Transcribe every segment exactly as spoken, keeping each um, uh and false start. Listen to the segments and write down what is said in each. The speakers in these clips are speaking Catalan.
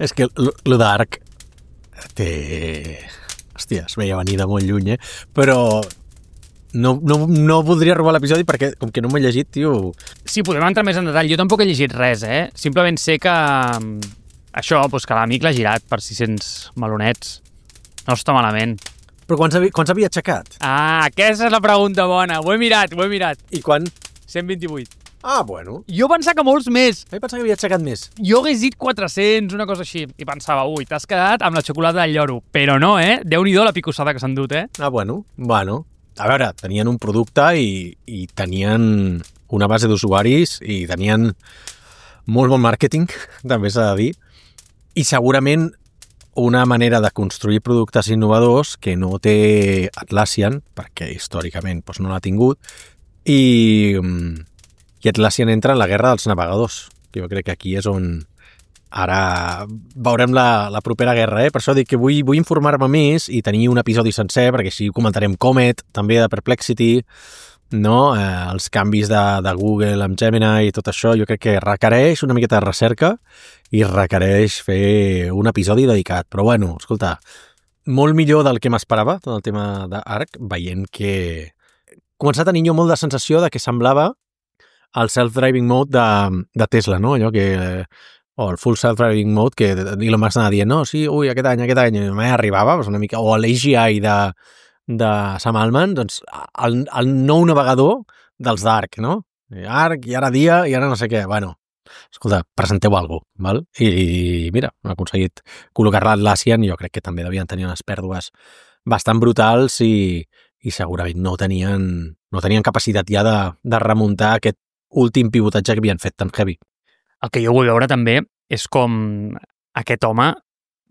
És que el d'Arc té... Hòstia, es veia venir de molt lluny, eh? Però no, no, no voldria robar l'episodi perquè, com que no m'he llegit, tio... Sí, podem entrar més en detall. Jo tampoc he llegit res, eh? Simplement sé que... Això, doncs que l'amic l'ha girat per sis-cents melonets. No està malament. Però quants, havia, quants havia aixecat? Ah, aquesta és la pregunta bona. Ho he mirat, ho he mirat. I quan? cent vint-i-vuit. Ah, bueno. Jo pensava que molts més. Vaig pensar que havia aixecat més. Jo hagués dit quatre-cents, una cosa així. I pensava, ui, t'has quedat amb la xocolata del lloro. Però no, eh? Déu-n'hi-do la picossada que s'han dut, eh? Ah, bueno. Bueno. A veure, tenien un producte i, i tenien una base d'usuaris i tenien molt bon màrqueting, també s'ha de dir. I segurament una manera de construir productes innovadors que no té Atlassian, perquè històricament doncs, no l'ha tingut, i, i Atlassian entra en la guerra dels navegadors. Jo crec que aquí és on ara veurem la, la propera guerra, eh? Per això dic que vull, vull informar-me més i tenir un episodi sencer, perquè així comentarem Comet, també de Perplexity, no? Eh, els canvis de, de Google amb Gemini i tot això, jo crec que requereix una miqueta de recerca i requereix fer un episodi dedicat. Però bueno, escolta, molt millor del que m'esperava, tot el tema d'Arc, veient que començar a tenir jo molt de sensació de que semblava el self-driving mode de, de Tesla, no? Allò que... o el full self-driving mode que Elon Musk anava dient, no, sí, ui, aquest any, aquest any, i mai arribava, doncs una mica, o l'A G I de de Sam Altman, doncs el, el nou navegador dels d'Arc, no? Arc, i ara dia, i ara no sé què. Bueno, escolta, presenteu alguna cosa, val? I, i mira, han aconseguit col·locar-la a Atlassian, jo crec que també devien tenir unes pèrdues bastant brutals i, i segurament no tenien, no tenien capacitat ja de, de remuntar aquest últim pivotatge que havien fet tan heavy. El que jo vull veure també és com aquest home,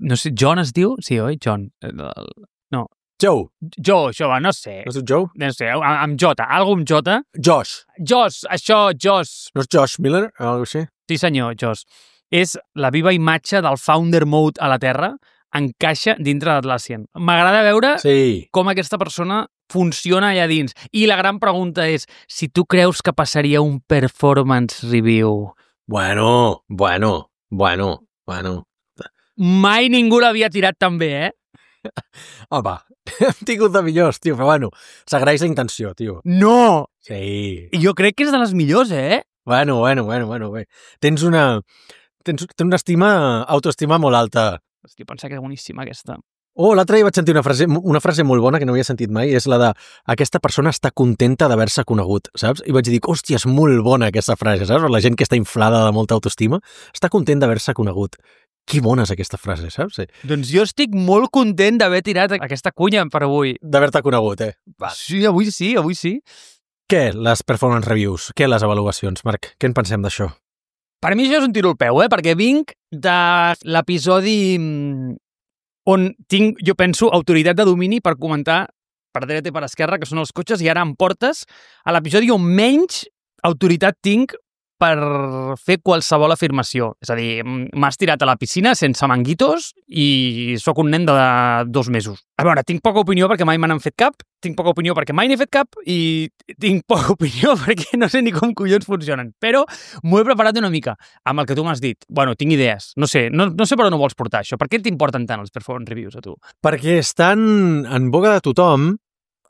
no sé, John es diu? Sí, oi? John. No. Joe. Joe, això va, no sé. No és Joe? No sé, amb J, algo amb J. Josh. Josh, això, Josh. No és Josh Miller o alguna cosa així? Sí, senyor, Josh. És la viva imatge del founder mode a la Terra, encaixa dintre d'Atlassian. M'agrada veure sí. com aquesta persona funciona allà dins. I la gran pregunta és, si tu creus que passaria un performance review... Bueno, bueno, bueno, bueno. Mai ningú l'havia tirat tan bé, eh? Home, hem tingut de millors, tio, però bueno, s'agraeix la intenció, tio. No! Sí. Jo crec que és de les millors, eh? Bueno, bueno, bueno, bueno, bé. Tens una... Tens, tens una estima, autoestima molt alta. Hòstia, pensa que és boníssima, aquesta. Oh, l'altre dia vaig sentir una frase, una frase molt bona que no havia sentit mai, és la de aquesta persona està contenta d'haver-se conegut, saps? I vaig dir, hòstia, és molt bona aquesta frase, saps? La gent que està inflada de molta autoestima està content d'haver-se conegut. Que bona és aquesta frase, saps? Sí. Doncs jo estic molt content d'haver tirat aquesta cunya per avui. D'haver-te conegut, eh? Va. Sí, avui sí, avui sí. Què, les performance reviews? Què, les avaluacions, Marc? Què en pensem d'això? Per mi això és un tiro al peu, eh? Perquè vinc de l'episodi on tinc, jo penso, autoritat de domini per comentar per dreta i per esquerra, que són els cotxes, i ara em portes a l'episodi on menys autoritat tinc per fer qualsevol afirmació. És a dir, m'has tirat a la piscina sense manguitos i sóc un nen de dos mesos. A veure, tinc poca opinió perquè mai me n'han fet cap, tinc poca opinió perquè mai n'he fet cap i tinc poca opinió perquè no sé ni com collons funcionen. Però m'ho he preparat una mica amb el que tu m'has dit. Bueno, tinc idees. No sé, no, no sé per on ho vols portar, això. Per què t'importen tant els performance reviews a tu? Perquè estan en boca de tothom,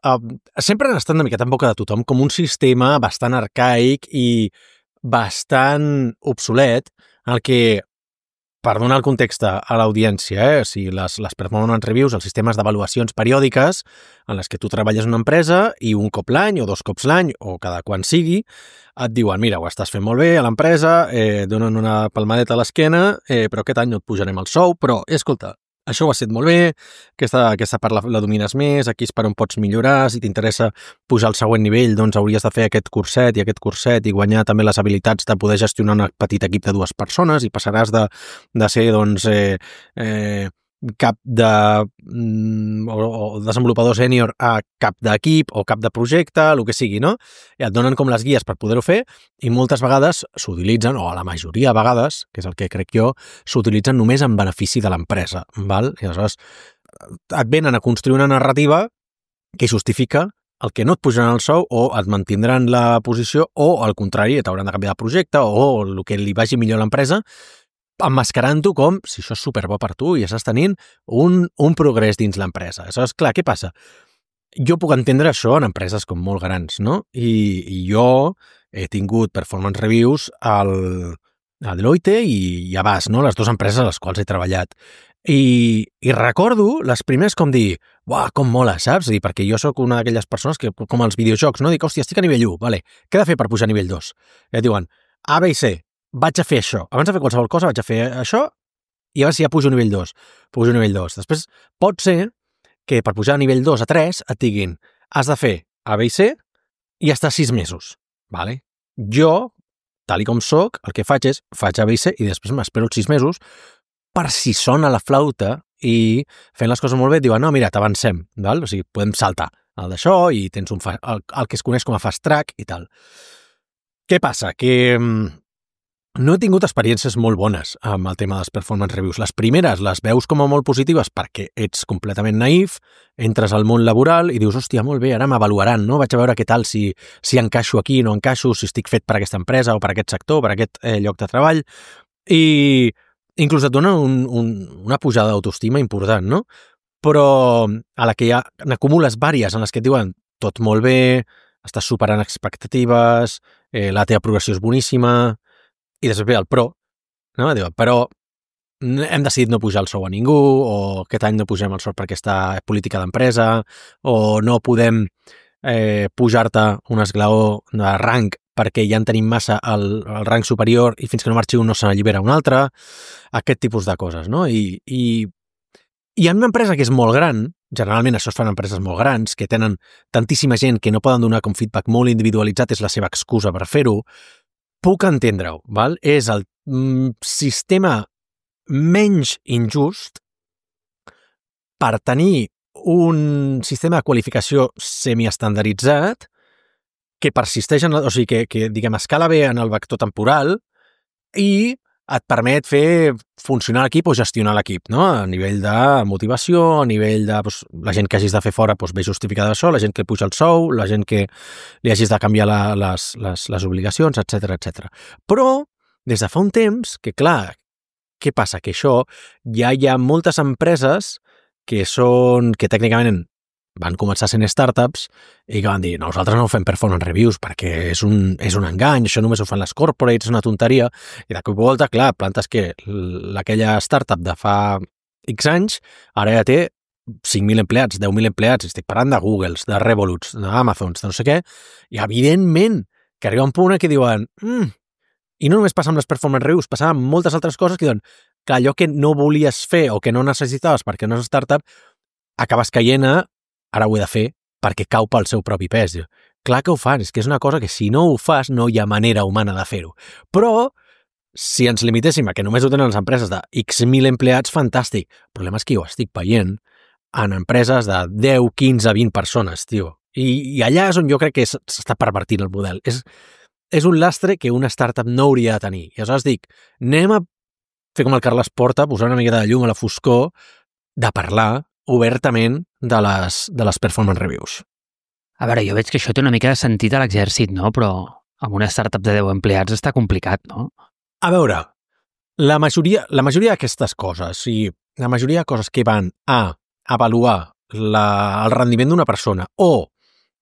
uh, sempre han estat una miqueta en boca de tothom, com un sistema bastant arcaic i bastant obsolet, en el que, per donar el context a l'audiència, eh? O sigui, les, les performance reviews, els sistemes d'avaluacions periòdiques en les que tu treballes en una empresa i un cop l'any o dos cops l'any o cada quan sigui, et diuen, mira, ho estàs fent molt bé a l'empresa, eh, donen una palmadeta a l'esquena, eh, però aquest any no et pujarem el sou, però, escolta, això ho has fet molt bé, aquesta, aquesta part la, la domines més, aquí és per on pots millorar, si t'interessa pujar al següent nivell, doncs hauries de fer aquest curset i aquest curset i guanyar també les habilitats de poder gestionar un petit equip de dues persones i passaràs de, de ser, doncs, eh, eh, cap de mm, o, o desenvolupador sènior a cap d'equip o cap de projecte, el que sigui, no? I et donen com les guies per poder-ho fer i moltes vegades s'utilitzen, o a la majoria de vegades, que és el que crec jo, s'utilitzen només en benefici de l'empresa, val? I aleshores et venen a construir una narrativa que justifica el que no et pujaran el sou o et mantindran la posició o, al contrari, t'hauran de canviar de projecte o el que li vagi millor a l'empresa emmascarant-ho com si això és superbo per tu i estàs tenint un, un progrés dins l'empresa. Aleshores, clar, què passa? Jo puc entendre això en empreses com molt grans, no? I, i jo he tingut performance reviews al, a Deloitte i, i a Bas, no? Les dues empreses a les quals he treballat. I, i recordo les primeres com dir, uah, com mola, saps? Dir, perquè jo sóc una d'aquelles persones que, com els videojocs, no? Dic, hòstia, estic a nivell u, vale, què he de fer per pujar a nivell dos? I et diuen, A, B i C, vaig a fer això. Abans de fer qualsevol cosa vaig a fer això i a veure si ja pujo a nivell dos. Pujo a nivell dos. Després pot ser que per pujar a nivell dos a tres et diguin, has de fer A, B i C i estar sis mesos, vale? Jo, tal i com soc, el que faig és, faig A, B i C i després m'espero els sis mesos per si sona la flauta i fent les coses molt bé et diuen, no, mira, t'avancem, val? O sigui, podem saltar el d'això i tens un fa, el, el que es coneix com a fast track i tal. Què passa? Que no he tingut experiències molt bones amb el tema dels performance reviews. Les primeres les veus com a molt positives perquè ets completament naïf, entres al món laboral i dius, hòstia, molt bé, ara m'avaluaran, no? Vaig a veure què tal, si, si encaixo aquí, no encaixo, si estic fet per aquesta empresa o per aquest sector, per aquest eh, lloc de treball. I inclús et dona un, un, una pujada d'autoestima important, no? Però a la que ja n'acumules vàries en les que et diuen tot molt bé, estàs superant expectatives, eh, la teva progressió és boníssima, i després ve el però, no? Diu, però hem decidit no pujar el sou a ningú, o aquest any no pugem el sou per aquesta política d'empresa, o no podem eh, pujar-te un esglaó de rang perquè ja en tenim massa al, al rang superior i fins que no marxi un no se n'allibera un altre, aquest tipus de coses, no? I, i, i en una empresa que és molt gran, generalment això es fan empreses molt grans, que tenen tantíssima gent que no poden donar com feedback molt individualitzat, és la seva excusa per fer-ho, puc entendre-ho, val? És el mm, sistema menys injust per tenir un sistema de qualificació semiestandarditzat que persisteix, en, o sigui, que, que diguem, escala bé en el vector temporal i et permet fer funcionar l'equip o gestionar l'equip, no? A nivell de motivació, a nivell de doncs, la gent que hagis de fer fora doncs, ve justificada això, la gent que puja el sou, la gent que li hagis de canviar la, les, les, les obligacions, etcètera, etcètera. Però, des de fa un temps, que clar, què passa? Que això ja hi ha moltes empreses que són, que tècnicament van començar sent startups i que van dir, no, nosaltres no fem performance reviews perquè és un, és un engany, això només ho fan les corporates, és una tonteria, i de cop i volta, clar, plantes que aquella startup de fa X anys ara ja té cinc mil empleats, deu mil empleats, estic parlant de Googles, de Revoluts, d'Amazons, de no sé què, i evidentment que arriba un punt que diuen, mm, i no només passa amb les performance reviews, passa amb moltes altres coses que diuen que allò que no volies fer o que no necessitaves perquè no és startup, acabes caient a ara ho he de fer perquè cau pel seu propi pes. Clar que ho fan, és que és una cosa que si no ho fas no hi ha manera humana de fer-ho. Però si ens limitéssim a que només ho tenen les empreses de X mil empleats, fantàstic. El problema és que jo estic veient en empreses de deu, quinze, vint persones, tio. I, i allà és on jo crec que s'està pervertint el model. És, és un lastre que una startup no hauria de tenir. I aleshores dic, anem a fer com el Carles Porta, posar una mica de llum a la foscor, de parlar obertament de les, de les performance reviews. A veure, jo veig que això té una mica de sentit a l'exèrcit, no? Però amb una startup de deu empleats està complicat, no? A veure, la majoria, la majoria d'aquestes coses, i la majoria de coses que van a avaluar la, el rendiment d'una persona o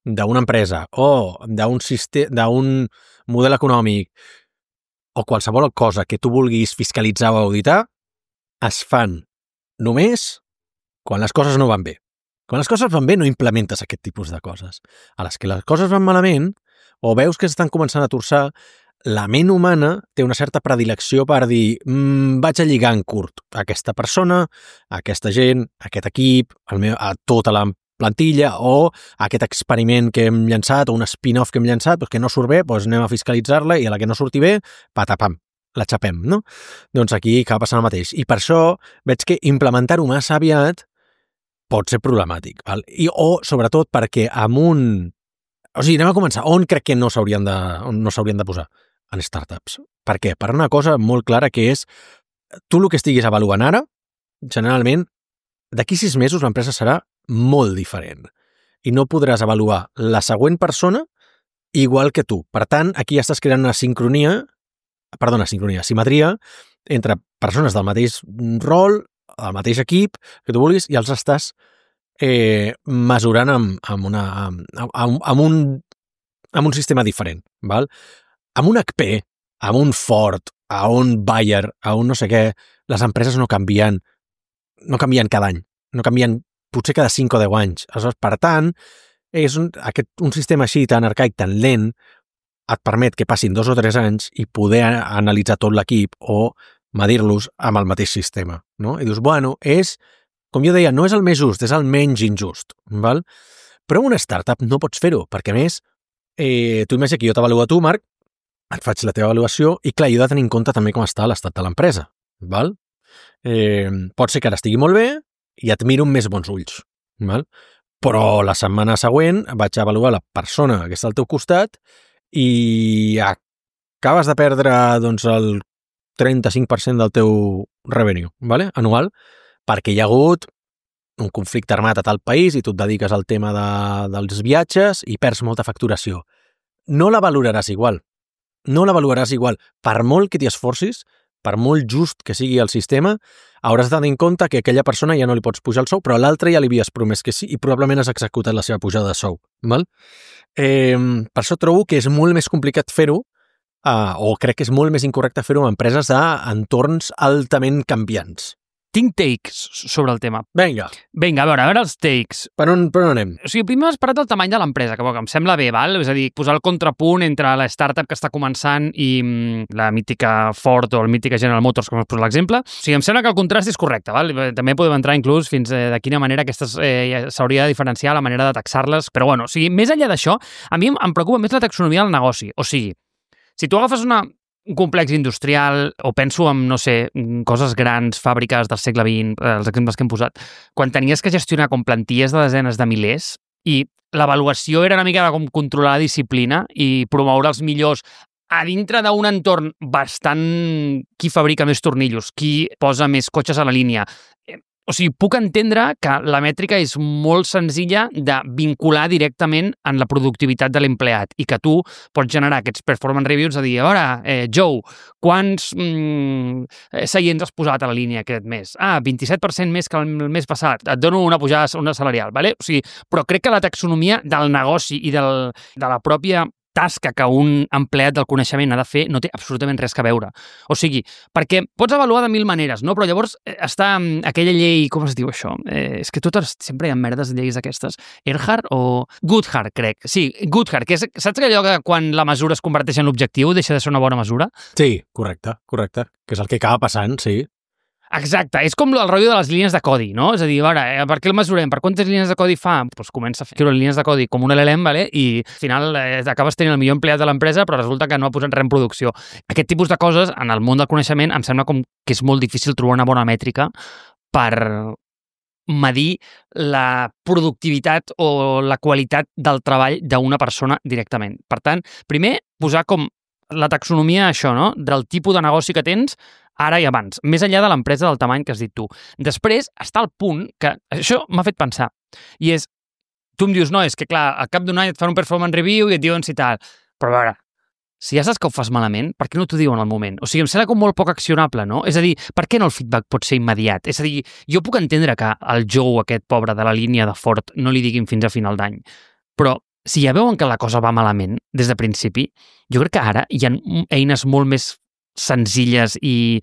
d'una empresa o d'un sistema, d'un model econòmic o qualsevol cosa que tu vulguis fiscalitzar o auditar, es fan només quan les coses no van bé. Quan les coses van bé no implementes aquest tipus de coses. A les que les coses van malament o veus que s'estan començant a torçar, la ment humana té una certa predilecció per dir mmm, vaig a lligar en curt a aquesta persona, a aquesta gent, a aquest equip, al meu, a tota la plantilla o a aquest experiment que hem llançat o un spin-off que hem llançat doncs que no surt bé, doncs anem a fiscalitzar-la i a la que no surti bé, patapam, la xapem, no? Doncs aquí acaba passant el mateix. I per això veig que implementar-ho massa aviat pot ser problemàtic, val? I, o sobretot perquè amb un... O sigui, anem a començar. On crec que no s'haurien de, on no s'haurien de posar? En startups. Per què? Per una cosa molt clara que és tu el que estiguis avaluant ara, generalment, d'aquí sis mesos l'empresa serà molt diferent i no podràs avaluar la següent persona igual que tu. Per tant, aquí ja estàs creant una sincronia, perdona, sincronia, simetria entre persones del mateix rol, del mateix equip, que tu vulguis, i els estàs eh, mesurant amb, amb, una, amb, amb, amb, un, amb un sistema diferent. Val? Amb un H P, amb un Ford, a un Bayer, a un no sé què, les empreses no canvien, no canvien cada any, no canvien potser cada cinc o deu anys. Aleshores, per tant, és un, aquest, un sistema així tan arcaic, tan lent, et permet que passin dos o tres anys i poder analitzar tot l'equip o medir-los amb el mateix sistema. No? I dius, bueno, és, com jo deia, no és el més just, és el menys injust. Val? Però en una startup no pots fer-ho, perquè a més, eh, tu imagina que jo t'avaluo a tu, Marc, et faig la teva avaluació i, clar, jo he de tenir en compte també com està l'estat de l'empresa. Val? Eh, pot ser que ara estigui molt bé i et miro amb més bons ulls. Val? Però la setmana següent vaig avaluar la persona que està al teu costat i acabes de perdre doncs, el trenta-cinc per cent del teu revenue, vale? Anual, perquè hi ha hagut un conflicte armat a tal país i tu et dediques al tema de, dels viatges i perds molta facturació. No la valoraràs igual. No la valoraràs igual. Per molt que t'hi esforcis, per molt just que sigui el sistema, hauràs de tenir en compte que aquella persona ja no li pots pujar el sou, però a l'altre ja li havies promès que sí i probablement has executat la seva pujada de sou. Val? Eh, per això trobo que és molt més complicat fer-ho, eh, o crec que és molt més incorrecte fer-ho en empreses d'entorns altament canviants. Tinc takes sobre el tema. Vinga. Vinga, a veure, a veure els takes. Per on, per on anem? O sigui, primer has parlat del tamany de l'empresa, que, que em sembla bé, val? És a dir, posar el contrapunt entre la startup que està començant i mm, la mítica Ford o el mítica General Motors, com has posat l'exemple. O sigui, em sembla que el contrast és correcte, val? També podem entrar inclús fins eh, de quina manera aquestes eh, s'hauria de diferenciar la manera de taxar-les, però bueno, o sigui, més enllà d'això, a mi em preocupa més la taxonomia del negoci. O sigui, si tu agafes una un complex industrial, o penso en, no sé, coses grans, fàbriques del segle vint, els exemples que hem posat, quan tenies que gestionar com plantilles de desenes de milers i l'avaluació era una mica de com controlar la disciplina i promoure els millors a dintre d'un entorn bastant qui fabrica més tornillos, qui posa més cotxes a la línia. O sigui, puc entendre que la mètrica és molt senzilla de vincular directament en la productivitat de l'empleat i que tu pots generar aquests performance reviews a dir, a veure, eh, Joe, quants mm, seients has posat a la línia aquest mes? Ah, vint-i-set per cent més que el mes passat. Et dono una pujada una salarial, ¿vale? O sigui, però crec que la taxonomia del negoci i del, de la pròpia tasca que un empleat del coneixement ha de fer no té absolutament res a veure. O sigui, perquè pots avaluar de mil maneres, no? Però llavors està aquella llei, com es diu això? Eh, és que totes sempre hi ha merdes de lleis aquestes. Earhart o Goodhart, crec. Sí, Goodhart, que és, saps allò que quan la mesura es converteix en l'objectiu deixa de ser una bona mesura? Sí, correcte, correcte. Que és el que acaba passant, sí. Exacte, és com el rotllo de les línies de codi, no? És a dir, a veure, per què el mesurem? Per quantes línies de codi fa? Doncs comença a fer línies de codi com un L L M, ¿vale? I al final eh, acabes tenint el millor empleat de l'empresa, però resulta que no ha posat res en producció. Aquest tipus de coses, en el món del coneixement, em sembla com que és molt difícil trobar una bona mètrica per medir la productivitat o la qualitat del treball d'una persona directament. Per tant, primer, posar com la taxonomia, això, no? Del tipus de negoci que tens ara i abans, més enllà de l'empresa del tamany que has dit tu. Després està el punt que això m'ha fet pensar, i és, tu em dius, no, és que clar, al cap d'un any et fan un performance review i et diuen si tal, però a veure, si ja saps que ho fas malament, per què no t'ho diuen al moment? O sigui, em sembla com molt poc accionable, no? És a dir, per què no el feedback pot ser immediat? És a dir, jo puc entendre que al Joe, aquest pobre de la línia de Ford, no li diguin fins a final d'any, però si ja veuen que la cosa va malament des de principi, jo crec que ara hi ha eines molt més senzilles i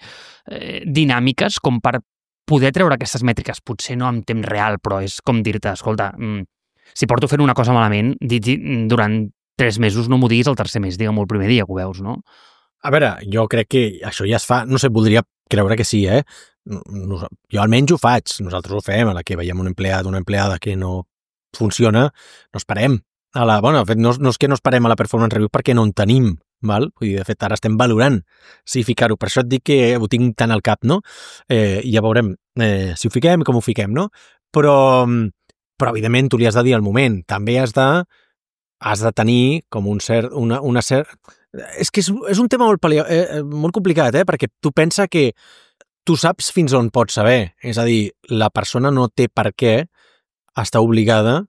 eh, dinàmiques com per poder treure aquestes mètriques, potser no en temps real, però és com dir-te, escolta, mm, si porto fent una cosa malament, di, di, durant tres mesos no m'ho diguis el tercer mes, digue'm el primer dia que ho veus, no? A veure, jo crec que això ja es fa, no sé, voldria creure que sí, eh? Nos, jo almenys ho faig, nosaltres ho fem, a la que veiem un empleat, una empleada que no funciona, no esperem. A la, bueno, de fet, no, no és que no esperem a la performance review perquè no en tenim, val? Vull dir, de fet, ara estem valorant si ficar-ho. Per això et dic que ho tinc tant al cap, no? Eh, I ja veurem eh, si ho fiquem i com ho fiquem, no? Però, però, evidentment, tu li has de dir al moment. També has de, has de tenir com un cert... Una, una cert... És que és, és un tema molt, paleo, eh, molt complicat, eh? Perquè tu pensa que tu saps fins on pots saber. És a dir, la persona no té per què estar obligada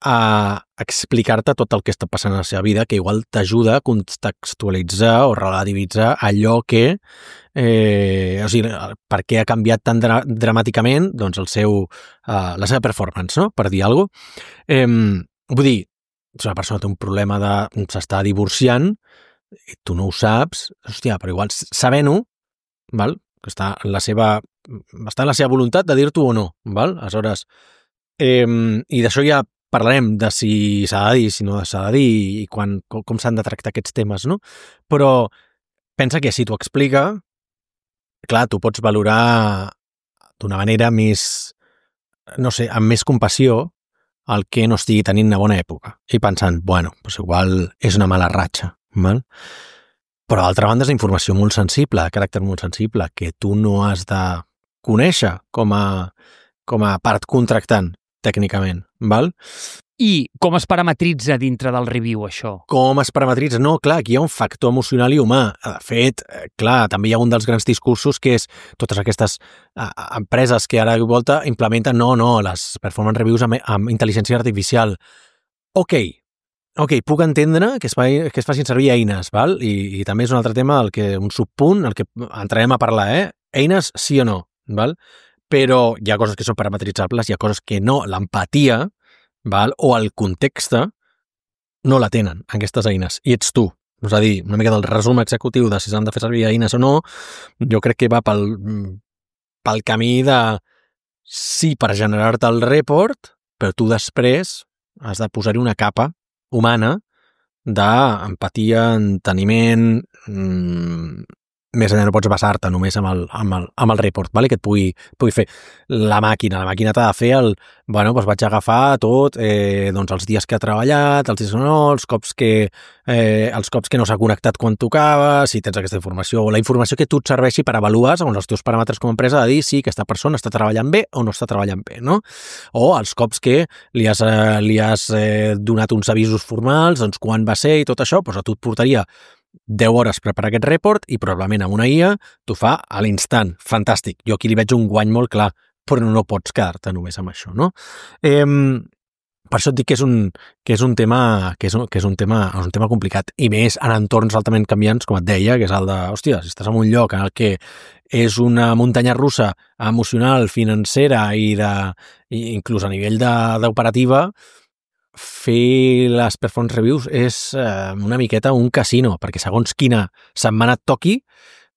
a explicar-te tot el que està passant a la seva vida, que igual t'ajuda a contextualitzar o relativitzar allò que, eh, o sigui, per què ha canviat tan dra dramàticament doncs el seu, uh, la seva performance, no? Per dir alguna cosa. Eh, vull dir, si una persona té un problema de s'està divorciant i tu no ho saps, hòstia, però igual sabent-ho, val? Que està en la seva, està en la seva voluntat de dir-t'ho o no, val? Aleshores, eh, i d'això ja parlarem de si s'ha de dir, si no s'ha de dir i quan, com, com s'han de tractar aquests temes, no? Però pensa que si t'ho explica, clar, tu pots valorar d'una manera més, no sé, amb més compassió el que no estigui tenint una bona època i pensant, bueno, doncs igual és una mala ratxa, val? Però d'altra banda és informació molt sensible, de caràcter molt sensible, que tu no has de conèixer com a, com a part contractant, tècnicament, val? I com es parametritza dintre del review, això? Com es parametritza? No, clar, aquí hi ha un factor emocional i humà. De fet, clar, també hi ha un dels grans discursos que és totes aquestes uh, empreses que ara de volta implementen, no, no, les performance reviews amb, amb intel·ligència artificial. Ok, ok, puc entendre que es, fa, que es facin servir eines, val? I, i també és un altre tema, el que, un subpunt, el que entrarem a parlar, eh? Eines sí o no, val? Però hi ha coses que són parametritzables, hi ha coses que no. L'empatia, val? O el context no la tenen, aquestes eines, i ets tu. És a dir, una mica del resum executiu de si s'han de fer servir eines o no, jo crec que va pel, pel camí de sí per generar-te el report, però tu després has de posar-hi una capa humana d'empatia, enteniment, mmm, més enllà no pots basar-te només amb el, amb el, amb el report, vale? Que et pugui, pugui fer la màquina. La màquina t'ha de fer el... Bueno, doncs vaig agafar tot, eh, doncs els dies que ha treballat, els dies que no, els cops que, eh, els cops que no s'ha connectat quan tocava, si tens aquesta informació, o la informació que tu et serveixi per avaluar, segons els teus paràmetres com a empresa, de dir si aquesta persona està treballant bé o no està treballant bé, no? O els cops que li has, eh, li has eh, donat uns avisos formals, doncs quan va ser i tot això, doncs a tu et portaria deu hores preparar aquest report i probablement amb una I A t'ho fa a l'instant. Fantàstic. Jo aquí li veig un guany molt clar, però no pots quedar-te només amb això, no? Eh, per això et dic que és un, que és un tema que és un, que és un tema és un tema complicat i més en entorns altament canviants, com et deia, que és el de, hòstia, si estàs en un lloc en el que és una muntanya russa emocional, financera i de, i inclús a nivell d'operativa, fer les performance reviews és eh, una miqueta un casino, perquè segons quina setmana et toqui,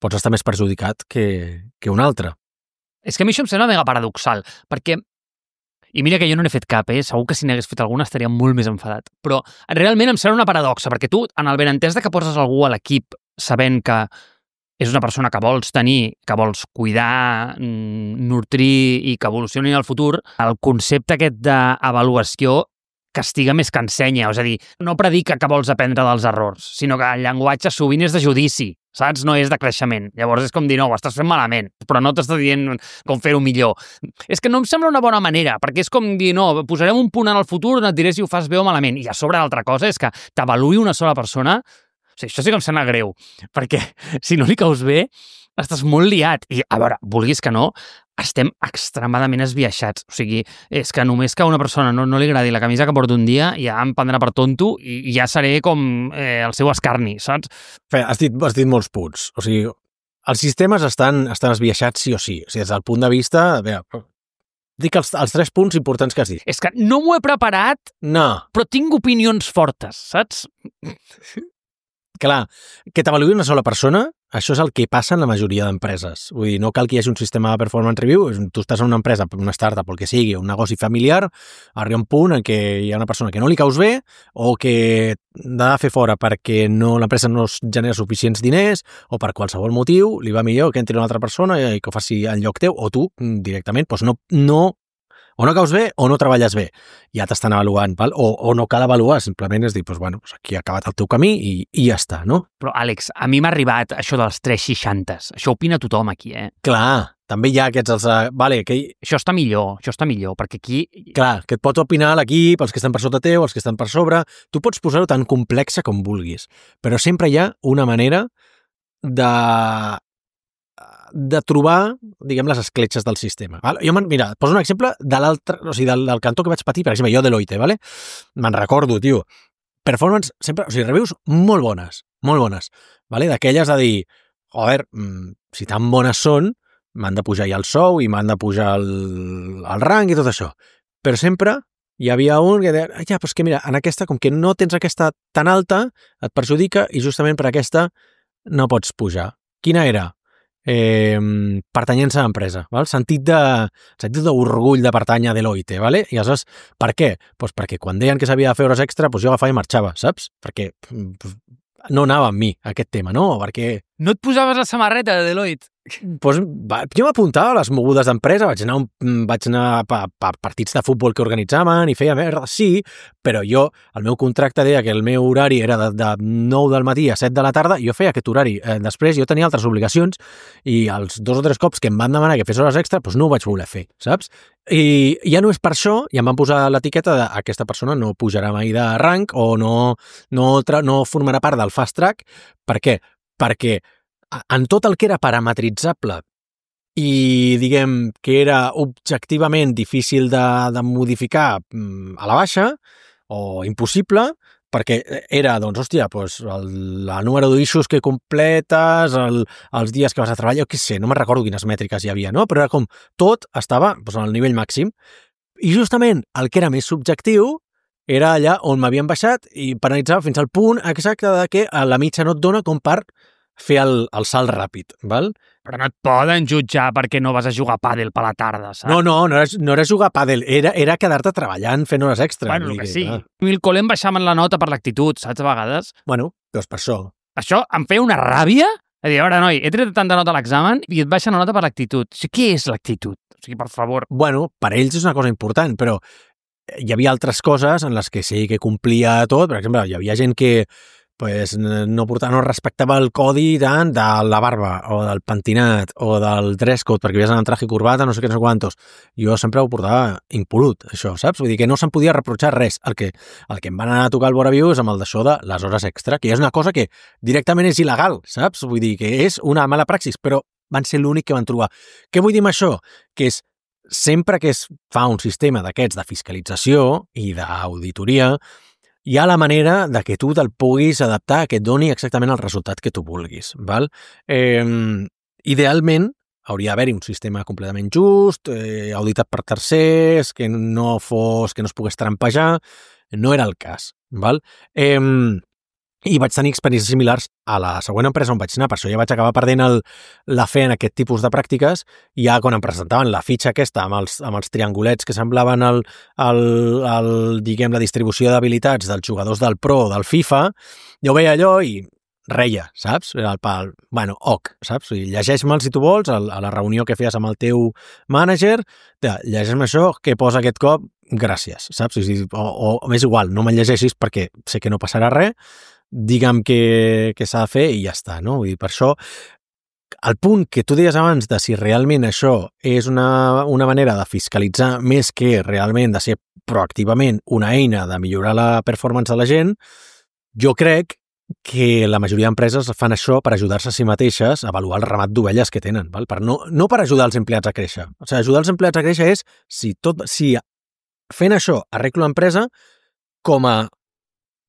pots estar més perjudicat que, que un altre. És que a mi això em sembla mega paradoxal, perquè, i mira que jo no n'he fet cap, eh? Segur que si n'hagués fet alguna estaria molt més enfadat, però realment em sembla una paradoxa, perquè tu, en el benentès de que poses algú a l'equip sabent que és una persona que vols tenir, que vols cuidar, nutrir i que evolucioni en el futur, el concepte aquest d'avaluació castiga més que ensenya, és a dir, no predica que vols aprendre dels errors, sinó que el llenguatge sovint és de judici, saps? No és de creixement. Llavors és com dir, no, ho estàs fent malament, però no t'està dient com fer-ho millor. És que no em sembla una bona manera, perquè és com dir, no, posarem un punt en el futur on et diré si ho fas bé o malament. I a sobre l'altra cosa és que t'avaluï una sola persona. O sigui, això sí que em sembla greu, perquè si no li caus bé, estàs molt liat. I, a veure, vulguis que no, estem extremadament esbiaixats. O sigui, és que només que a una persona no, no li agradi la camisa que porta un dia, ja em prendrà per tonto i ja seré com eh, el seu escarni, saps? Fe, has dit, has dit molts punts. O sigui, els sistemes estan, estan esbiaixats sí o sí. O sigui, des del punt de vista... A veure, dic els, els tres punts importants que has dit. És que no m'ho he preparat, no. Però tinc opinions fortes, saps? Clar, que t'avaluï una sola persona, això és el que passa en la majoria d'empreses. Vull dir, no cal que hi hagi un sistema de performance review, tu estàs en una empresa, una startup, el que sigui, un negoci familiar, arriba un punt en què hi ha una persona que no li caus bé o que l'ha de fer fora perquè no, l'empresa no genera suficients diners o per qualsevol motiu li va millor que entri una altra persona i que ho faci en lloc teu o tu directament doncs no, no o no caus bé o no treballes bé. Ja t'estan avaluant, val? O, o no cal avaluar, simplement és dir, doncs, bueno, aquí ha acabat el teu camí i, i ja està, no? Però, Àlex, a mi m'ha arribat això dels tres seixantes. Això opina tothom aquí, eh? Clar, també hi ha aquests... Els, uh, vale, que... Això està millor, això està millor, perquè aquí... Clar, que et pot opinar l'equip, els que estan per sota teu, els que estan per sobre... Tu pots posar-ho tan complexa com vulguis, però sempre hi ha una manera de de trobar, diguem, les escletxes del sistema. Val? Jo, mira, poso un exemple de l'altre, o sigui, del, del cantó que vaig patir, per exemple, jo Deloitte, vale? Me'n recordo, tio. Performance, sempre, o sigui, reviews molt bones, molt bones, vale? D'aquelles de dir, joder, si tan bones són, m'han de pujar ja el sou i m'han de pujar el, el rang i tot això. Però sempre hi havia un que deia, ja, però és que mira, en aquesta, com que no tens aquesta tan alta, et perjudica i justament per aquesta no pots pujar. Quina era? Eh, pertanyència a l'empresa, val? Sentit de sentit d'orgull de pertànyer a Deloitte, vale? I aleshores, per què? Pues perquè quan deien que s'havia de fer hores extra, pues jo agafava i marxava, saps? Perquè no anava amb mi, aquest tema, no? Perquè... No et posaves la samarreta de Deloitte? Pues, va, jo m'apuntava a les mogudes d'empresa, vaig anar, un, vaig anar a, a partits de futbol que organitzaven i feia merda, sí, però jo, el meu contracte deia que el meu horari era de, de nou del matí a set de la tarda, i jo feia aquest horari. Eh, després jo tenia altres obligacions i els dos o tres cops que em van demanar que fes hores extra, doncs no ho vaig voler fer, saps? I ja no és per això, i em van posar l'etiqueta de aquesta persona no pujarà mai de rang o no, no, no formarà part del fast track. Per què? Perquè en tot el que era parametritzable i, diguem, que era objectivament difícil de, de modificar a la baixa o impossible, perquè era, doncs, hòstia, doncs, el, el número d'issues que completes, el, els dies que vas a treballar, jo què sé, no me'n recordo quines mètriques hi havia, no? Però era com, tot estava doncs, al nivell màxim. I justament el que era més subjectiu era allà on m'havien baixat i penalitzava fins al punt exacte de que a la mitja no et dona com per fer el, el salt ràpid, val? Però no et poden jutjar perquè no vas a jugar a pàdel per la tarda, saps? No, no, no era, no era jugar a pàdel, era, era quedar-te treballant fent hores extra. Bueno, el que sí. A mi el col·le em baixaven la nota per l'actitud, saps, a vegades? Bueno, doncs per això. Això em feia una ràbia? A dir, a veure, noi, he tret tanta nota a l'examen i et baixa la nota per l'actitud. O sigui, què és l'actitud? O sigui, per favor. Bueno, per ells és una cosa important, però hi havia altres coses en les que sí que complia tot. Per exemple, hi havia gent que pues, no, portava, no respectava el codi tant de la barba o del pentinat o del dress code perquè havies d'anar en traje i corbata, no sé què, no sé quantos. Jo sempre ho portava impolut, això, saps? Vull dir que no se'n podia reprotxar res. El que, el que em van anar a tocar el Boraviu és amb el d'això de les hores extra, que és una cosa que directament és il·legal, saps? Vull dir que és una mala praxis, però van ser l'únic que van trobar. Què vull dir amb això? Que és sempre que es fa un sistema d'aquests de fiscalització i d'auditoria, hi ha la manera de que tu te'l puguis adaptar, que et doni exactament el resultat que tu vulguis. Val? Eh, idealment, hauria d'haver-hi un sistema completament just, eh, auditat per tercers, que no fos, que no es pogués trampejar. No era el cas. Val? Eh, I vaig tenir experiències similars a la següent empresa on vaig anar, per això ja vaig acabar perdent el, la fe en aquest tipus de pràctiques, i ja quan em presentaven la fitxa aquesta amb els, amb els triangulets que semblaven el, el, el, diguem, la distribució d'habilitats dels jugadors del Pro o del FIFA, jo veia allò i reia, saps? Era el pal, bueno, ok, saps? I llegeix-me'l si tu vols, a la reunió que feies amb el teu mànager, llegeix-me això, què posa aquest cop, gràcies, saps? O, o, o més igual, no me'l llegeixis perquè sé que no passarà res, digue'm què, què s'ha de fer i ja està, no? Vull dir, per això, el punt que tu deies abans de si realment això és una, una manera de fiscalitzar més que realment de ser proactivament una eina de millorar la performance de la gent, jo crec que la majoria d'empreses fan això per ajudar-se a si mateixes a avaluar el ramat d'ovelles que tenen, val? Per no, no per ajudar els empleats a créixer. O sigui, ajudar els empleats a créixer és si, tot, si fent això arreglo l'empresa, com a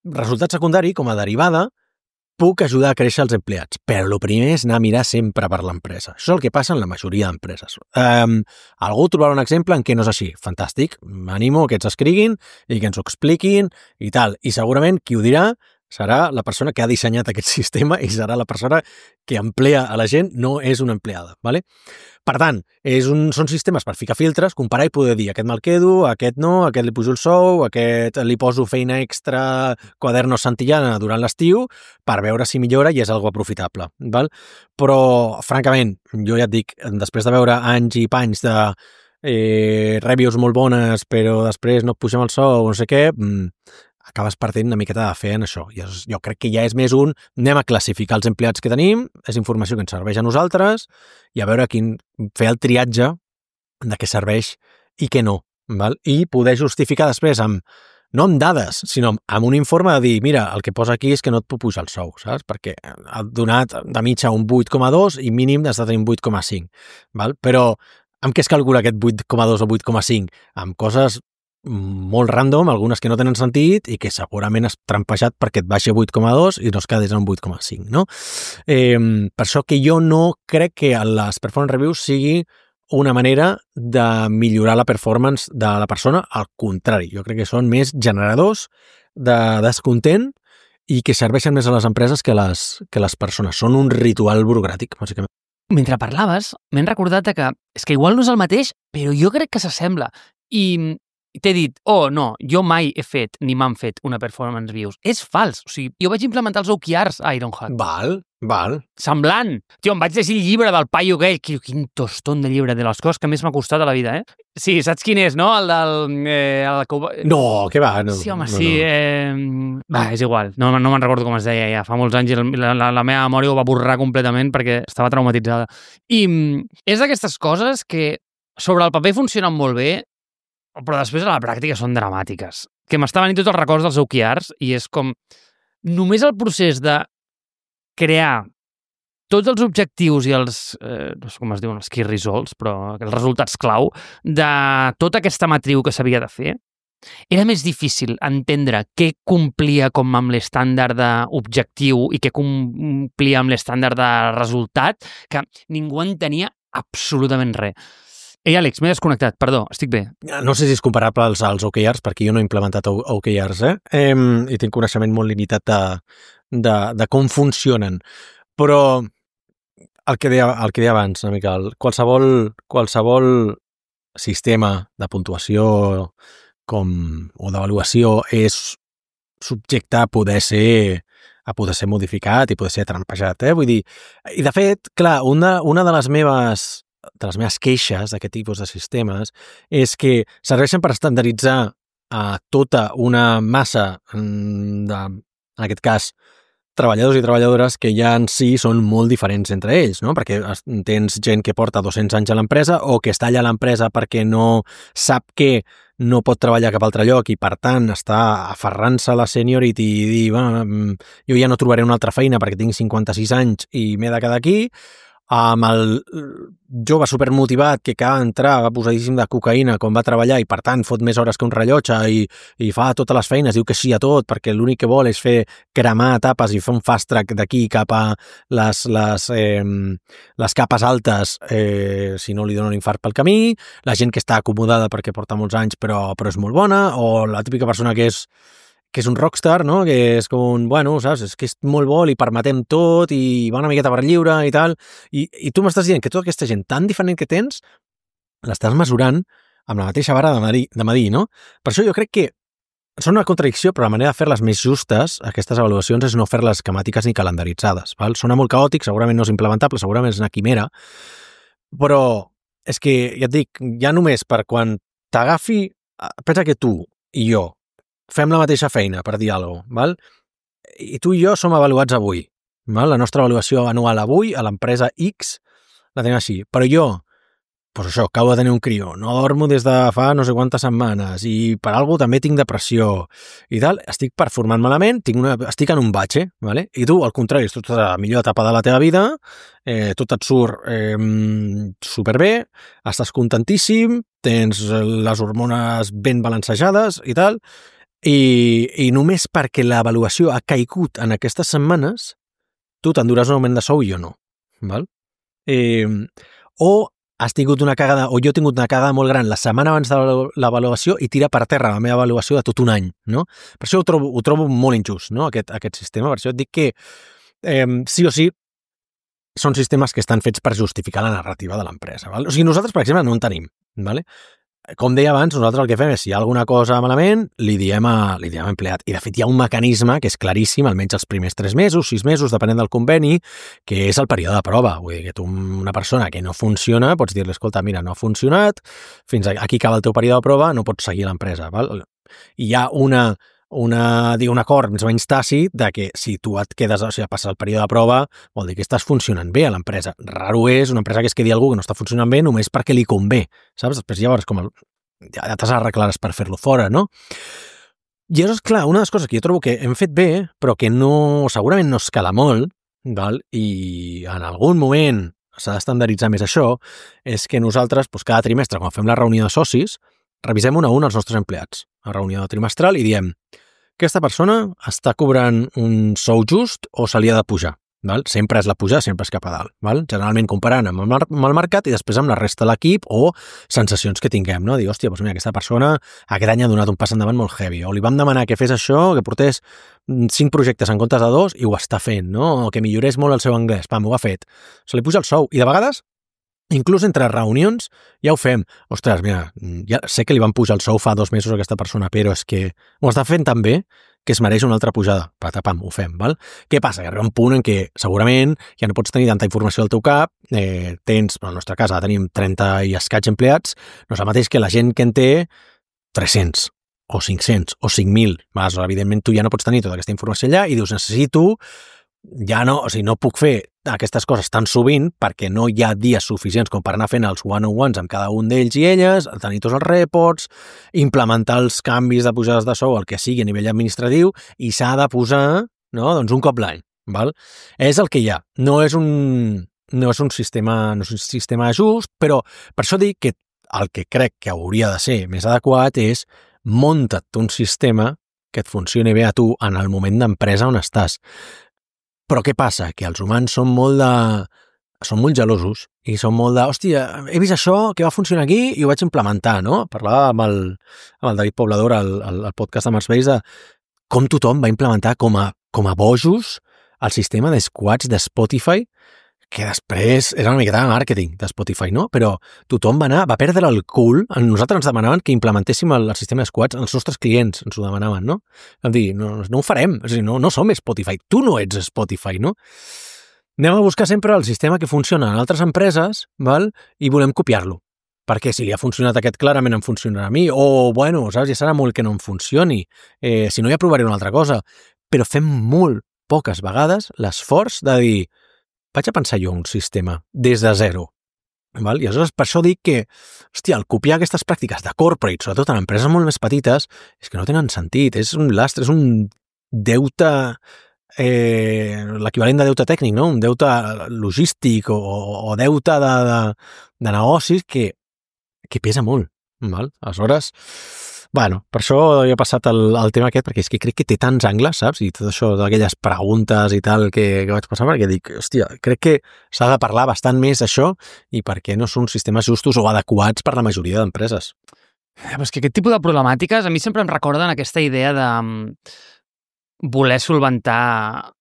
resultat secundari, com a derivada, puc ajudar a créixer els empleats. Però el primer és anar a mirar sempre per l'empresa. Això és el que passa en la majoria d'empreses. Um, algú trobarà un exemple en què no és així. Fantàstic. M'animo que ens escriguin i que ens ho expliquin i tal. I segurament qui ho dirà serà la persona que ha dissenyat aquest sistema i serà la persona que emplea a la gent, no és una empleada. ¿Vale? Per tant, és un, són sistemes per ficar filtres, comparar i poder dir aquest me'l quedo, aquest no, aquest li pujo el sou, aquest li poso feina extra, quadernos santillana durant l'estiu, per veure si millora i és algo aprofitable. Val? Però, francament, jo ja et dic, després de veure anys i panys de eh, reviews molt bones, però després no et pugem el sou, no sé què, mmm, acabes perdent una miqueta de fe en això. I jo crec que ja és més un anem a classificar els empleats que tenim, és informació que ens serveix a nosaltres, i a veure quin, fer el triatge de què serveix i què no. Val? I poder justificar després amb, no amb dades, sinó amb un informe de dir, mira, el que posa aquí és que no et puc pujar el sou, saps? Perquè ha donat de mitja un vuit coma dos i mínim has de tenir un vuit coma cinc, val? Però amb què es calcula aquest vuit coma dos o vuit coma cinc? Amb coses molt random, algunes que no tenen sentit i que segurament has trampejat perquè et baixi vuit coma dos i no es quedés en vuit coma cinc, no? Eh, per això que jo no crec que les performance reviews sigui una manera de millorar la performance de la persona, al contrari, jo crec que són més generadors de descontent i que serveixen més a les empreses que les, que les persones. Són un ritual burocràtic, bàsicament. Mentre parlaves, m'he recordat que és que igual no és el mateix, però jo crec que s'assembla. I t'he dit, oh, no, jo mai he fet, ni m'han fet una performance reviews. És fals. O sigui, jo vaig implementar els O K Rs a Ironhack. Val, val. Semblant. Tio, em vaig llegir el llibre del paio aquell. Quin tostón de llibre, de les coses que més m'ha costat a la vida, eh? Sí, saps quin és, no? El del... Eh, el que... No, què va? No, sí, home, no, sí. No. Eh... Va, és igual. No, no me'n recordo com es deia ja. Fa molts anys i la, la, la meva memòria ho va borrar completament perquè estava traumatitzada. I és d'aquestes coses que sobre el paper funcionen molt bé, però després a la pràctica són dramàtiques. Que m'està venint tots els records dels O K Rs i és com... Només el procés de crear tots els objectius i els... Eh, no sé com es diuen, els key results, però els resultats clau de tota aquesta matriu que s'havia de fer, era més difícil entendre què complia com amb l'estàndard d'objectiu i què complia amb l'estàndard de resultat, que ningú entenia absolutament res. Ei, Àlex, m'he desconnectat, perdó, estic bé. No sé si és comparable als, als O K Rs, perquè jo no he implementat O K Rs, eh? eh I tinc coneixement molt limitat de, de, de com funcionen. Però el que deia, el que deia abans, una mica, el, qualsevol, qualsevol sistema de puntuació com, o d'avaluació és subjecte a poder ser a poder ser modificat i poder ser trampejat, eh? Vull dir, i de fet, clar, una, una de les meves de les meves queixes d'aquest tipus de sistemes és que serveixen per estandarditzar a tota una massa de, en aquest cas, treballadors i treballadores que ja en si són molt diferents entre ells, no? Perquè tens gent que porta dos-cents anys a l'empresa o que està allà a l'empresa perquè no sap que no pot treballar cap altre lloc i, per tant, està aferrant-se a la seniority i dir, bueno, jo ja no trobaré una altra feina perquè tinc cinquanta-sis anys i m'he de quedar aquí, amb el jove supermotivat que acaba d'entrar, va posadíssim de cocaïna quan va treballar i, per tant, fot més hores que un rellotge i, i fa totes les feines, diu que sí a tot, perquè l'únic que vol és fer cremar etapes i fer un fast track d'aquí cap a les, les, eh, les capes altes, eh, si no li dona un infart pel camí, la gent que està acomodada perquè porta molts anys però, però és molt bona, o la típica persona que és que és un rockstar, no? Que és com un, bueno, saps, és que és molt bo, li permetem tot i va una miqueta per lliure i tal, i, i tu m'estàs dient que tota aquesta gent tan diferent que tens l'estàs mesurant amb la mateixa vara de medir, de medir, no? Per això jo crec que són una contradicció, però la manera de fer-les més justes, aquestes avaluacions, és no fer-les esquemàtiques ni calendaritzades, val? Sona molt caòtic, segurament no és implementable, segurament és una quimera, però és que, ja et dic, ja només per quan t'agafi, pensa que tu i jo fem la mateixa feina, per dir alguna cosa, val? I tu i jo som avaluats avui, val? La nostra avaluació anual avui a l'empresa X la tenim així, però jo, doncs això, acabo de tenir un crió, no dormo des de fa no sé quantes setmanes i per alguna cosa també tinc depressió i tal, estic performant malament, tinc una, estic en un batxe, vale? I tu, al contrari, estàs a la millor etapa de la teva vida, eh, tot et surt eh, superbé, estàs contentíssim, tens les hormones ben balancejades i tal, I, i només perquè l'avaluació ha caigut en aquestes setmanes, tu t'enduràs un augment de sou i jo no. Val? Eh, o has tingut una cagada, o jo he tingut una cagada molt gran la setmana abans de l'avaluació i tira per terra la meva avaluació de tot un any. No? Per això ho trobo, ho trobo molt injust, no? aquest, aquest sistema. Per això et dic que eh, sí o sí són sistemes que estan fets per justificar la narrativa de l'empresa. Val? O sigui, nosaltres, per exemple, no en tenim. Vale? Com deia abans, nosaltres el que fem és, si hi ha alguna cosa malament, li diem a, li diem a empleat. I, de fet, hi ha un mecanisme que és claríssim, almenys els primers tres mesos, sis mesos, depenent del conveni, que és el període de prova. Vull dir que tu, una persona que no funciona, pots dir-li, escolta, mira, no ha funcionat, fins aquí acaba el teu període de prova, no pots seguir l'empresa. Val? I hi ha una, una, dic, un acord més o menys tàcit de que si tu et quedes, o sigui, passar el període de prova, vol dir que estàs funcionant bé a l'empresa. Raro és una empresa que es quedi algú que no està funcionant bé només perquè li convé, saps? Després llavors com el, ja t'has arreglares per fer-lo fora, no? I això és clar, una de les coses que jo trobo que hem fet bé, però que no, segurament no escala molt, val? I en algun moment s'ha d'estandarditzar més això, és que nosaltres, doncs, cada trimestre, quan fem la reunió de socis, revisem un a un els nostres empleats, la reunió trimestral, i diem aquesta persona està cobrant un sou just o se li ha de pujar? Val? Sempre és la pujada, sempre és cap a dalt. Val? Generalment comparant amb el, amb el mercat i després amb la resta de l'equip o sensacions que tinguem, no? Dir, hòstia, doncs mira, aquesta persona aquest any ha donat un pas endavant molt heavy, o li vam demanar que fes això, que portés cinc projectes en comptes de dos i ho està fent, no? O que millorés molt el seu anglès, pam, ho ha fet. Se li puja el sou i de vegades inclús entre reunions ja ho fem. Ostres, mira, ja sé que li van pujar el sou fa dos mesos a aquesta persona, però és que ho està fent tan bé que es mereix una altra pujada. Patapam, ho fem, val? Què passa? Que arriba un punt en què segurament ja no pots tenir tanta informació al teu cap, eh, tens, però en la nostra casa tenim trenta i escaig empleats, no és el mateix que la gent que en té tres-cents o cinc-cents o cinc mil. Evidentment tu ja no pots tenir tota aquesta informació allà i dius, necessito ja no, o sigui, no puc fer aquestes coses tan sovint perquè no hi ha dies suficients com per anar fent els one-on-ones amb cada un d'ells i elles, tenir tots els reports, implementar els canvis de pujades de sou, el que sigui a nivell administratiu, i s'ha de posar, no?, doncs un cop l'any, val? És el que hi ha. No és un, no és un sistema, no és un sistema just, però per això dic que el que crec que hauria de ser més adequat és munta't un sistema que et funcioni bé a tu en el moment d'empresa on estàs. Però què passa? Que els humans són molt de... són molt gelosos i són molt de... Hòstia, he vist això que va funcionar aquí i ho vaig implementar, no? Parlava amb el, amb el David Poblador al, al, al podcast de Marsbase de com tothom va implementar com a, com a bojos el sistema de squads de Spotify, que després era una miqueta de màrqueting de Spotify, no? Però tothom va anar, va perdre el cul. Nosaltres ens demanaven que implementéssim el, el sistema de squads, els nostres clients ens ho demanaven, no? Vam dir, no, no ho farem, o sigui, no, no som Spotify, tu no ets Spotify, no? Anem a buscar sempre el sistema que funciona en altres empreses, val? I volem copiar-lo. Perquè si li ha funcionat aquest, clarament em funcionarà a mi, o, bueno, saps, ja serà molt que no em funcioni, eh, si no ja provaré una altra cosa. Però fem molt poques vegades l'esforç de dir vaig a pensar jo un sistema des de zero. Val? I aleshores per això dic que, hòstia, el copiar aquestes pràctiques de corporate, sobretot en empreses molt més petites, és que no tenen sentit, és un lastre, és un deute, eh, l'equivalent de deute tècnic, no? Un deute logístic o, o deute de, de, de negocis que, que pesa molt. Val? Aleshores, bueno, per això he passat el, el tema aquest, perquè és que crec que té tants angles, saps? I tot això d'aquelles preguntes i tal que, que vaig passar, perquè dic, hòstia, crec que s'ha de parlar bastant més d'això i perquè no són sistemes justos o adequats per la majoria d'empreses. Però és que aquest tipus de problemàtiques a mi sempre em recorden aquesta idea de voler solventar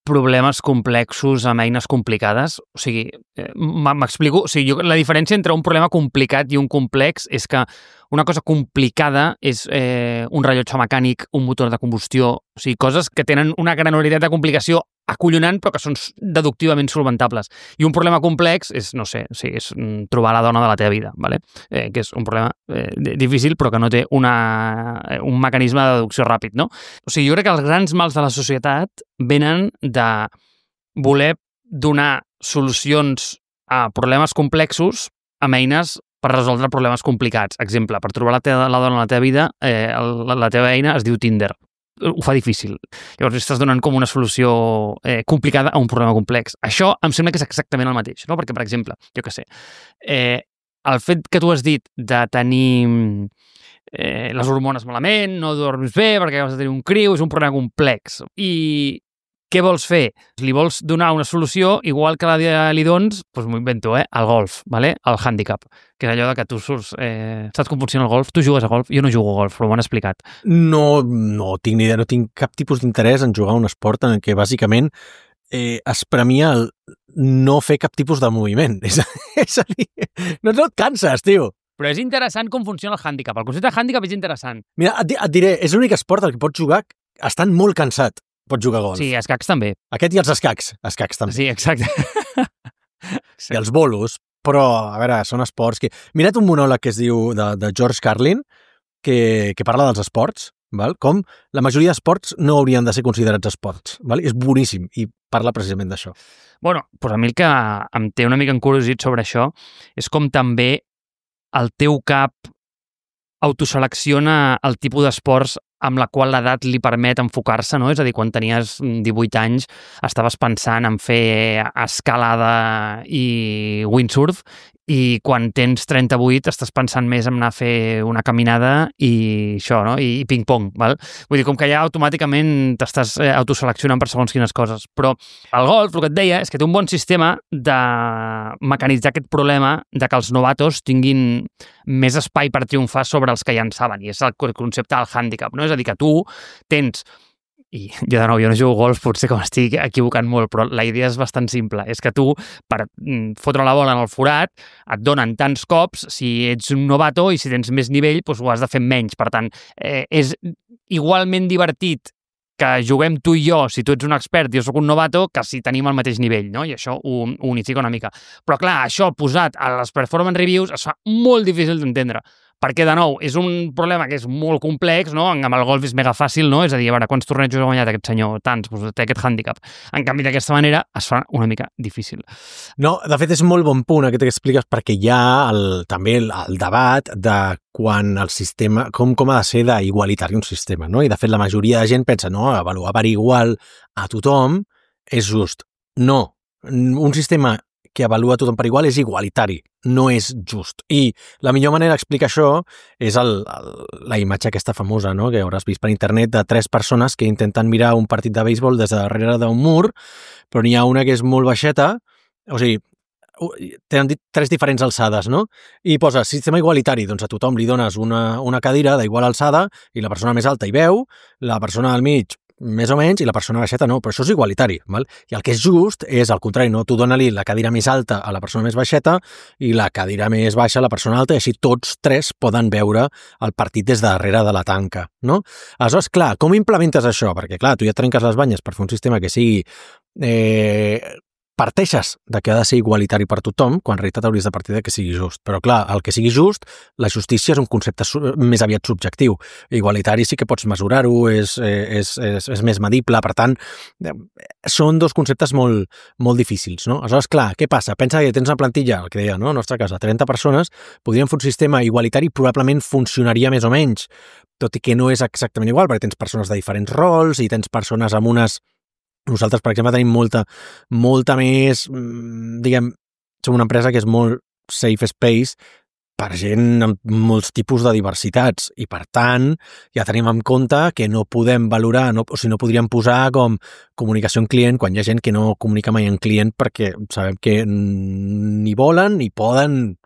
problemes complexos amb eines complicades. O sigui, m'explico, o sigui, jo, la diferència entre un problema complicat i un complex és que una cosa complicada és eh, un rellotge mecànic, un motor de combustió, o sigui, coses que tenen una granularitat de complicació acollonant però que són deductivament solventables. I un problema complex és, no sé, o sigui, és trobar la dona de la teva vida, ¿vale? eh, que és un problema eh, difícil però que no té una, un mecanisme de deducció ràpid, no? O sigui, jo crec que els grans mals de la societat venen de voler donar solucions a problemes complexos amb eines per resoldre problemes complicats. Exemple, per trobar la, teva, la dona a la teva vida, eh, la, la teva eina es diu Tinder. Ho fa difícil. Llavors estàs donant com una solució eh, complicada a un problema complex. Això em sembla que és exactament el mateix, no? Perquè, per exemple, jo què sé, eh, el fet que tu has dit de tenir eh, les hormones malament, no dorms bé perquè has de tenir un criu, és un problema complex. I què vols fer? Li vols donar una solució, igual que la li dones, doncs m'ho invento, eh? El golf, ¿vale? El handicap, que és allò de que tu surts... Eh, saps com funciona el golf? Tu jugues a golf? Jo no jugo a golf, però m'ho han explicat. No, no tinc ni idea, no tinc cap tipus d'interès en jugar a un esport en què bàsicament eh, es premia el no fer cap tipus de moviment. És a, és a dir, no, no et canses, tio. Però és interessant com funciona el handicap. El concepte de handicap és interessant. Mira, et, et diré, és l'únic esport al que pots jugar estant molt cansat. Pots jugar a golf. Sí, escacs també. Aquest i els escacs. Escacs també. Sí, exacte. I els bolos. Però, a veure, són esports que... Mira't un monòleg que es diu de, de George Carlin, que, que parla dels esports, val? Com la majoria d'esports no haurien de ser considerats esports. Val? És boníssim i parla precisament d'això. Bueno, doncs a mi el que em té una mica encuriosit sobre això és com també el teu cap autoselecciona el tipus d'esports amb la qual l'edat li permet enfocar-se, no? És a dir, quan tenies divuit anys estaves pensant en fer escalada i windsurf i quan tens trenta-vuit estàs pensant més en anar a fer una caminada i això, no? I ping-pong, val? Vull dir, com que ja automàticament t'estàs autoseleccionant per segons quines coses. Però el golf, el que et deia, és que té un bon sistema de mecanitzar aquest problema de que els novatos tinguin més espai per triomfar sobre els que ja en saben, i és el concepte del hàndicap, no? És a dir, que tu tens... I jo de nou, jo no jugo golf, potser que m'estic equivocant molt, però la idea és bastant simple. És que tu, per fotre la bola en el forat, et donen tants cops si ets un novato i si tens més nivell, doncs ho has de fer menys. Per tant, eh, és igualment divertit que juguem tu i jo, si tu ets un expert i jo soc un novato, que si tenim el mateix nivell, no? I això ho, ho unifica una mica. Però clar, això posat a les performance reviews es fa molt difícil d'entendre. Perquè, de nou, és un problema que és molt complex, no? Amb el golf és mega fàcil, no? És a dir, a veure, quants tornejos ha guanyat aquest senyor? Tants, doncs té aquest hàndicap. En canvi, d'aquesta manera es fa una mica difícil. No, de fet, és molt bon punt aquest que expliques, perquè hi ha el, també el, el debat de quan el sistema, com, com ha de ser d'igualitari un sistema, no? I, de fet, la majoria de gent pensa, no, avaluar per igual a tothom és just. No, un sistema que avalua tothom per igual és igualitari, no és just. I la millor manera d'explicar això és el, el, la imatge aquesta famosa, no?, que hauràs vist per internet, de tres persones que intenten mirar un partit de béisbol des de darrere d'un mur, però n'hi ha una que és molt baixeta, o sigui, tenen dit tres diferents alçades, no? I posa sistema igualitari, doncs a tothom li dones una, una cadira d'igual alçada i la persona més alta hi veu, la persona al mig més o menys, i la persona baixeta no, però això és igualitari, val? I el que és just és al contrari, no? Tu dona-li la cadira més alta a la persona més baixeta i la cadira més baixa a la persona alta, i així tots tres poden veure el partit des de darrere de la tanca, no? Aleshores, clar, com implementes això? Perquè, clar, tu ja trenques les banyes per fer un sistema que sigui... Eh, parteixes de que ha de ser igualitari per tothom, quan en realitat hauries de partir de que sigui just. Però clar, el que sigui just, la justícia és un concepte més aviat subjectiu. Igualitari sí que pots mesurar-ho, és, és, és, és més medible, per tant, són dos conceptes molt, molt difícils, no? Aleshores, clar, què passa? Pensa que tens una plantilla, el que deia, no?, a la nostra casa, trenta persones, podríem fer un sistema igualitari, probablement funcionaria més o menys, tot i que no és exactament igual, perquè tens persones de diferents rols i tens persones amb unes... Nosaltres, per exemple, tenim molta, molta més, diguem, som una empresa que és molt safe space per gent amb molts tipus de diversitats i, per tant, ja tenim en compte que no podem valorar, no, o sigui, no podríem posar com comunicació en client quan hi ha gent que no comunica mai en client perquè sabem que ni volen ni poden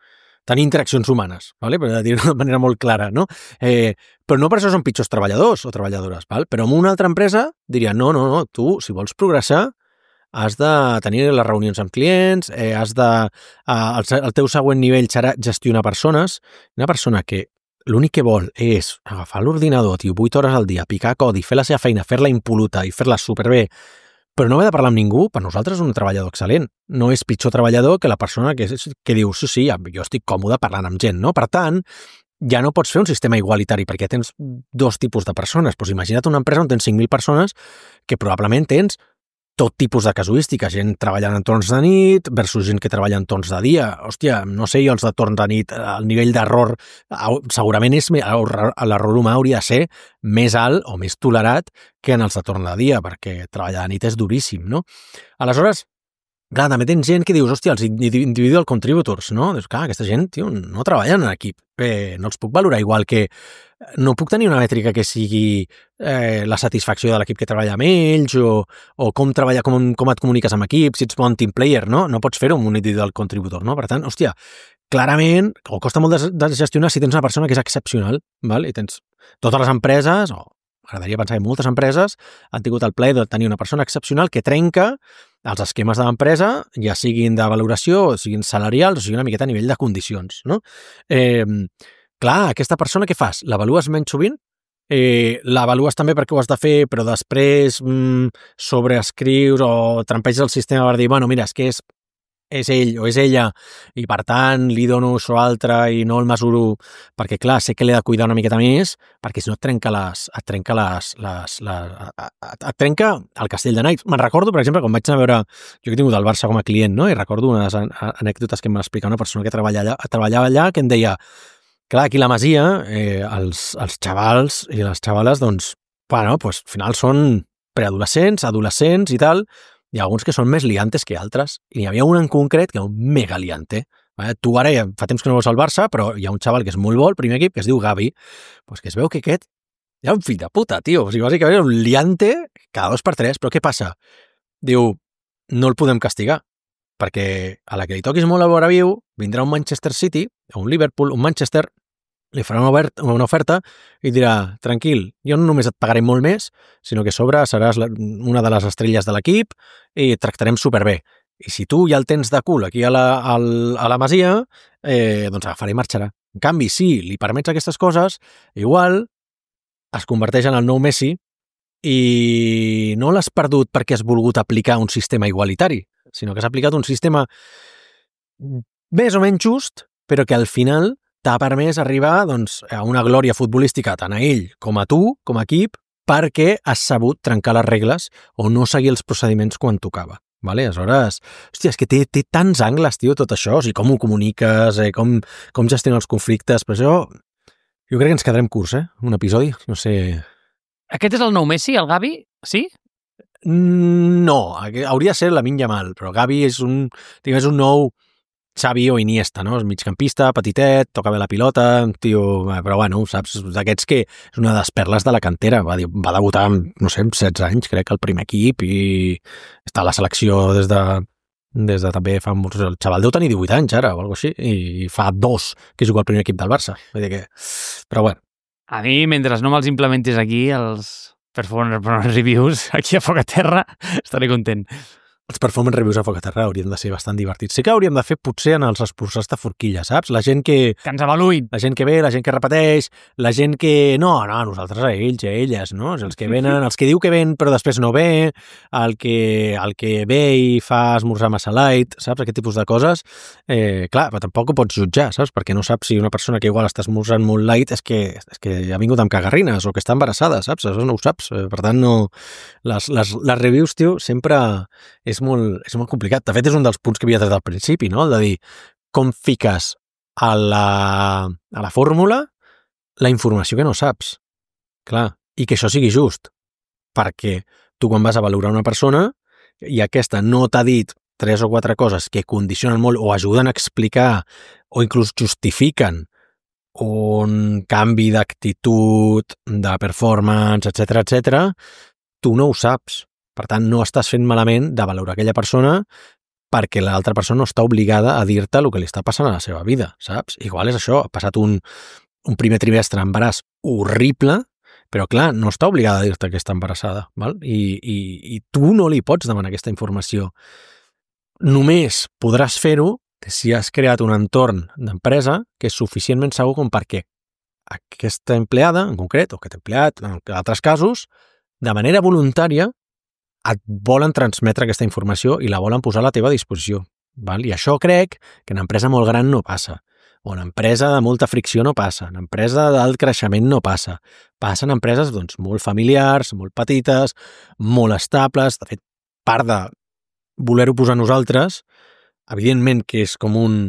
tenir interaccions humanes, ¿vale? Per dir-ho de manera molt clara, no? Eh, però no per això són pitjors treballadors o treballadores, ¿val? Però en una altra empresa diria, no, no, no, tu, si vols progressar, has de tenir les reunions amb clients, eh, has de... Eh, el, el teu següent nivell serà gestionar persones. Una persona que l'únic que vol és agafar l'ordinador, tio, vuit hores al dia, picar codi, fer la seva feina, fer-la impol·luta i fer-la superbé, però no haver de parlar amb ningú, per nosaltres és un treballador excel·lent. No és pitjor treballador que la persona que, que diu, sí, sí, jo estic còmode parlant amb gent, no? Per tant, ja no pots fer un sistema igualitari perquè tens dos tipus de persones. Doncs imagina't una empresa on tens cinc mil persones que probablement tens tot tipus de casuística, gent treballant en torns de nit versus gent que treballa en torns de dia. Hòstia, no sé, jo els de torn de nit, el nivell d'error segurament és, l'error humà hauria de ser més alt o més tolerat que en els de torn de dia, perquè treballar de nit és duríssim, no? Aleshores, clar, també tens gent que dius, hòstia, els individual contributors, no? Dius, clar, aquesta gent, tio, no treballen en equip. Bé, no els puc valorar igual que... No puc tenir una mètrica que sigui eh, la satisfacció de l'equip que treballa amb ells o, o com, treballa, com, com et comuniques amb equips, si ets bon team player, no? No pots fer-ho amb un individual contributor, no? Per tant, hòstia, clarament, o costa molt de, de gestionar si tens una persona que és excepcional, val? I tens totes les empreses, o m'agradaria pensar que moltes empreses han tingut el plaer de tenir una persona excepcional que trenca els esquemes de l'empresa, ja siguin de valoració, o siguin salarials, o siguin una miqueta a nivell de condicions, no? Eh, clar, aquesta persona què fas? L'avalues menys sovint? Eh, l'avalues també perquè ho has de fer, però després mm, sobreescrius o trampeges el sistema per dir, bueno, mira, és que és és ell o és ella, i per tant li dono això altre i no el mesuro perquè, clar, sé que l'he de cuidar una miqueta més perquè si no et trenca les... et trenca les... les, les et, et trenca el castell de naips. Me'n recordo, per exemple, quan vaig anar a veure... Jo que he tingut el Barça com a client, no? I recordo unes anècdotes que em va explicar una persona que treballava allà, treballava allà que em deia clar, aquí a la Masia, eh, els, els xavals i les xavales, doncs, bueno, pues, al final són preadolescents, adolescents i tal, hi ha alguns que són més liantes que altres, i n'hi havia un en concret que era un mega liante. Vale? Tu ara ja fa temps que no veus el Barça, però hi ha un xaval que és molt bo, el primer equip, que es diu Gavi, pues que es veu que aquest hi ha un fill de puta, tio. O sigui, bàsicament un liante cada dos per tres, però què passa? Diu, no el podem castigar, perquè a la que li toquis molt a veure viu, vindrà un Manchester City, o un Liverpool, un Manchester, li farà una, obert, una oferta i dirà, tranquil, jo no només et pagaré molt més, sinó que a sobre seràs la, una de les estrelles de l'equip i et tractarem superbé. I si tu ja el tens de cul aquí a la, a la Masia, eh, doncs agafarà i marxarà. En canvi, si li permets aquestes coses, igual es converteix en el nou Messi i no l'has perdut perquè has volgut aplicar un sistema igualitari, sinó que has aplicat un sistema més o menys just, però que al final t'ha permès arribar doncs, a una glòria futbolística tant a ell com a tu, com a equip, perquè has sabut trencar les regles o no seguir els procediments quan tocava. Vale? Aleshores, hòstia, és que té, té tants angles, tio, tot això, o sigui, com ho comuniques, eh, com, com gestionar els conflictes, però això, jo crec que ens quedarem curts, eh? Un episodi, no sé... Aquest és el nou Messi, el Gavi? Sí? No, hauria de ser Lamine Yamal, però Gavi és un, diguem, és un nou Xavi o Iniesta, no? És migcampista, petitet, toca bé la pilota, tio, però bueno, saps, d'aquests que és una de les perles de la cantera, va, va debutar amb, no sé, amb setze anys, crec, al primer equip i està a la selecció des de, des de també fa molts... El xaval deu tenir divuit anys ara o alguna cosa així, i fa dos que juga al primer equip del Barça. Vull dir que... Però bueno. A mi, mentre no me'ls implementis aquí, els performance reviews, aquí a Foc a Terra, estaré content. Els performance reviews a Foc a Terra haurien de ser bastant divertits. Sí que hauríem de fer potser en els esforçats de forquilla, saps? La gent que... Que ens avaluïn. La gent que ve, la gent que repeteix, la gent que... No, no, nosaltres a ells, a elles, no? Els que venen, els que diu que ven però després no ve, el que, el que ve i fa esmorzar massa light, saps? Aquest tipus de coses. Eh, clar, però tampoc ho pots jutjar, saps? Perquè no saps si una persona que igual està esmorzant molt light és que, és que ha vingut amb cagarrines o que està embarassada, saps? Això no ho saps. Per tant, no... Les, les, les reviews, tio, sempre... És molt, és molt complicat. De fet, és un dels punts que havia tret al principi, no? El de dir, com fiques a la, a la fórmula la informació que no saps. Clar, i que això sigui just. Perquè tu quan vas a valorar una persona i aquesta no t'ha dit tres o quatre coses que condicionen molt o ajuden a explicar o inclús justifiquen un canvi d'actitud, de performance, etcètera, etcètera, tu no ho saps. Per tant, no estàs fent malament de valorar aquella persona perquè l'altra persona no està obligada a dir-te el que li està passant a la seva vida, saps? Igual és això, ha passat un, un primer trimestre d'embaràs horrible, però clar, no està obligada a dir-te que està embarassada, val? I, i, i tu no li pots demanar aquesta informació. Només podràs fer-ho si has creat un entorn d'empresa que és suficientment segur com perquè aquesta empleada, en concret, o aquest empleat, en altres casos, de manera voluntària, et volen transmetre aquesta informació i la volen posar a la teva disposició. Val? I això crec que en empresa molt gran no passa. O en empresa de molta fricció no passa. En empresa d'alt creixement no passa. Passa en empreses doncs, molt familiars, molt petites, molt estables. De fet, part de voler-ho posar nosaltres, evidentment que és com un,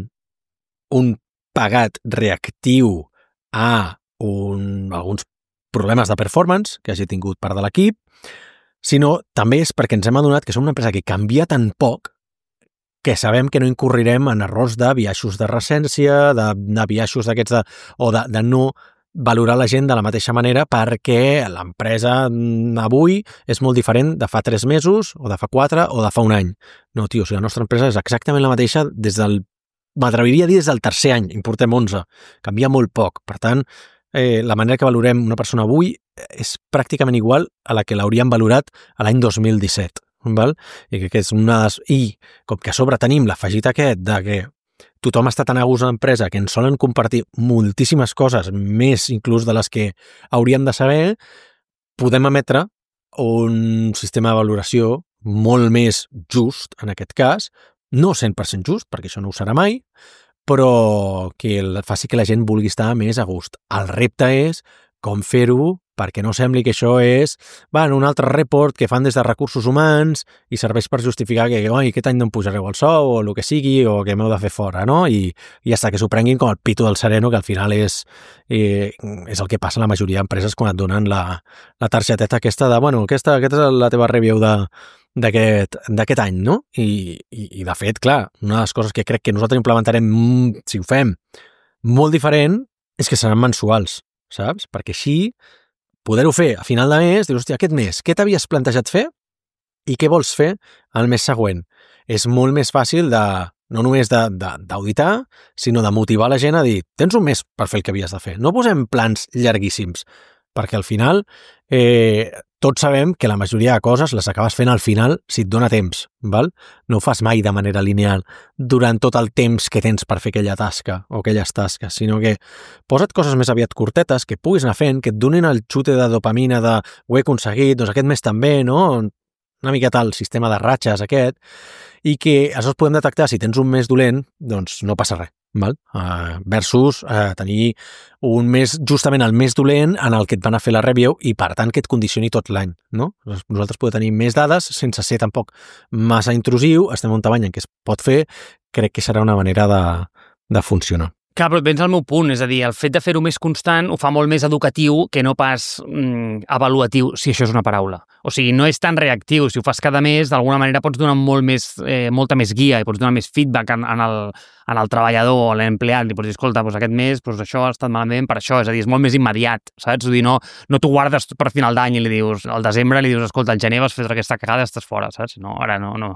un pagat reactiu a un, alguns problemes de performance que hagi tingut part de l'equip, sinó també és perquè ens hem adonat que som una empresa que canvia tan poc que sabem que no incurrirem en errors de biaixos de recència, de, de biaixos d'aquests de, o de, de no valorar la gent de la mateixa manera perquè l'empresa avui és molt diferent de fa tres mesos o de fa quatre o de fa un any. No, tio, o sigui, la nostra empresa és exactament la mateixa des del, m'atreviria a dir des del tercer any, en portem onze. Canvia molt poc. Per tant, eh, la manera que valorem una persona avui és pràcticament igual a la que l'hauríem valorat a l'any dos mil disset. Val? I que és una des... I com que a sobre tenim l'afegit aquest de que tothom està tan a gust a l'empresa que ens solen compartir moltíssimes coses, més inclús de les que hauríem de saber, podem emetre un sistema de valoració molt més just, en aquest cas, no cent per cent just, perquè això no ho serà mai, però que faci que la gent vulgui estar més a gust. El repte és com fer-ho perquè no sembli que això és bueno, un altre report que fan des de recursos humans i serveix per justificar que oi, aquest any no em pujareu el sou o el que sigui o que m'heu de fer fora, no? I, i ja està, que s'ho prenguin com el pito del sereno, que al final és, eh, és el que passa a la majoria d'empreses quan et donen la, la targeteta aquesta de, bueno, aquesta, aquesta és la teva review de d'aquest any, no? I, i, I, de fet, clar, una de les coses que crec que nosaltres implementarem, si ho fem, molt diferent, és que seran mensuals, saps? Perquè així, poder-ho fer a final de mes, dius, hòstia, aquest mes, què t'havies plantejat fer i què vols fer el mes següent? És molt més fàcil de, no només d'auditar, sinó de motivar la gent a dir, tens un mes per fer el que havies de fer. No posem plans llarguíssims, perquè al final eh, tots sabem que la majoria de coses les acabes fent al final si et dona temps, val? No ho fas mai de manera lineal durant tot el temps que tens per fer aquella tasca o aquelles tasques, sinó que posa't coses més aviat curtetes que puguis anar fent, que et donin el xute de dopamina de ho he aconseguit, doncs aquest mes també, no? Una miqueta el sistema de ratxes aquest, i que això es podem detectar si tens un mes dolent, doncs no passa res. Val? Uh, versus uh, tenir un mes, justament el mes dolent en el que et van a fer la review i per tant que et condicioni tot l'any, no? Nosaltres podem tenir més dades sense ser tampoc massa intrusiu, estem a un tamany en què es pot fer, crec que serà una manera de, de funcionar. Clar, però et vens al meu punt, és a dir, el fet de fer-ho més constant ho fa molt més educatiu que no pas mm, avaluatiu, si això és una paraula. O sigui, no és tan reactiu, si ho fas cada mes, d'alguna manera pots donar molt més, eh, molta més guia i pots donar més feedback en, en, el, en el treballador o l'empleat, i pots dir, escolta, doncs aquest mes doncs això ha estat malament per això, és a dir, és molt més immediat, saps? Vull dir, no, no t'ho guardes per final d'any i li dius, al desembre li dius, escolta, al gener vas fer aquesta cagada, estàs fora, saps? No, ara no, no.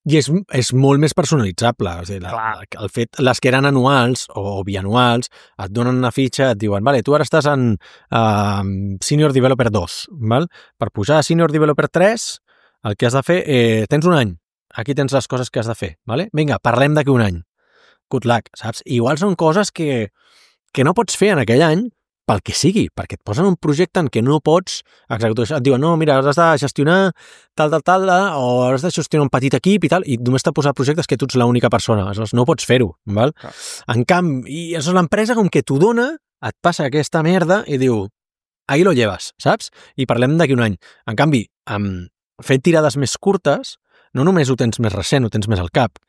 I és, és molt més personalitzable. O sigui, la, el fet, les que eren anuals o bianuals et donen una fitxa, et diuen, vale, tu ara estàs en uh, Senior Developer dos, val? Per pujar a Senior Developer tres, el que has de fer, eh, tens un any, aquí tens les coses que has de fer, vale? Vinga, parlem d'aquí un any. Good luck, saps? Igual són coses que, que no pots fer en aquell any, pel que sigui, perquè et posen un projecte en què no pots executar això. Et diuen, no, mira, has de gestionar tal, tal, tal, o has de gestionar un petit equip i tal, i només t'ha posat projectes que tu ets l'única persona. Aleshores, no pots fer-ho, val? Ah. En canvi, i és l'empresa com que t'ho dona, et passa aquesta merda i diu, ahí lo llevas, saps? I parlem d'aquí un any. En canvi, amb fent tirades més curtes, no només ho tens més recent, ho tens més al cap,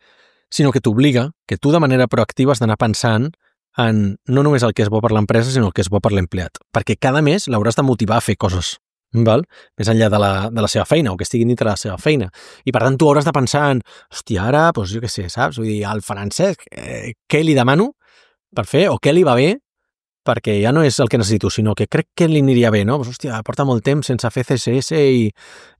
sinó que t'obliga que tu de manera proactiva has d'anar pensant en no només el que és bo per l'empresa, sinó el que és bo per l'empleat. Perquè cada mes l'hauràs de motivar a fer coses, val? Més enllà de la, de la seva feina, o que estiguin dintre de la seva feina. I per tant, tu hauràs de pensar en, hòstia, ara, doncs jo què sé, saps? Vull dir, al Francesc, eh, què li demano per fer, o què li va bé, perquè ja no és el que necessito, sinó que crec que li aniria bé, no? Pues, hòstia, porta molt temps sense fer C S S i,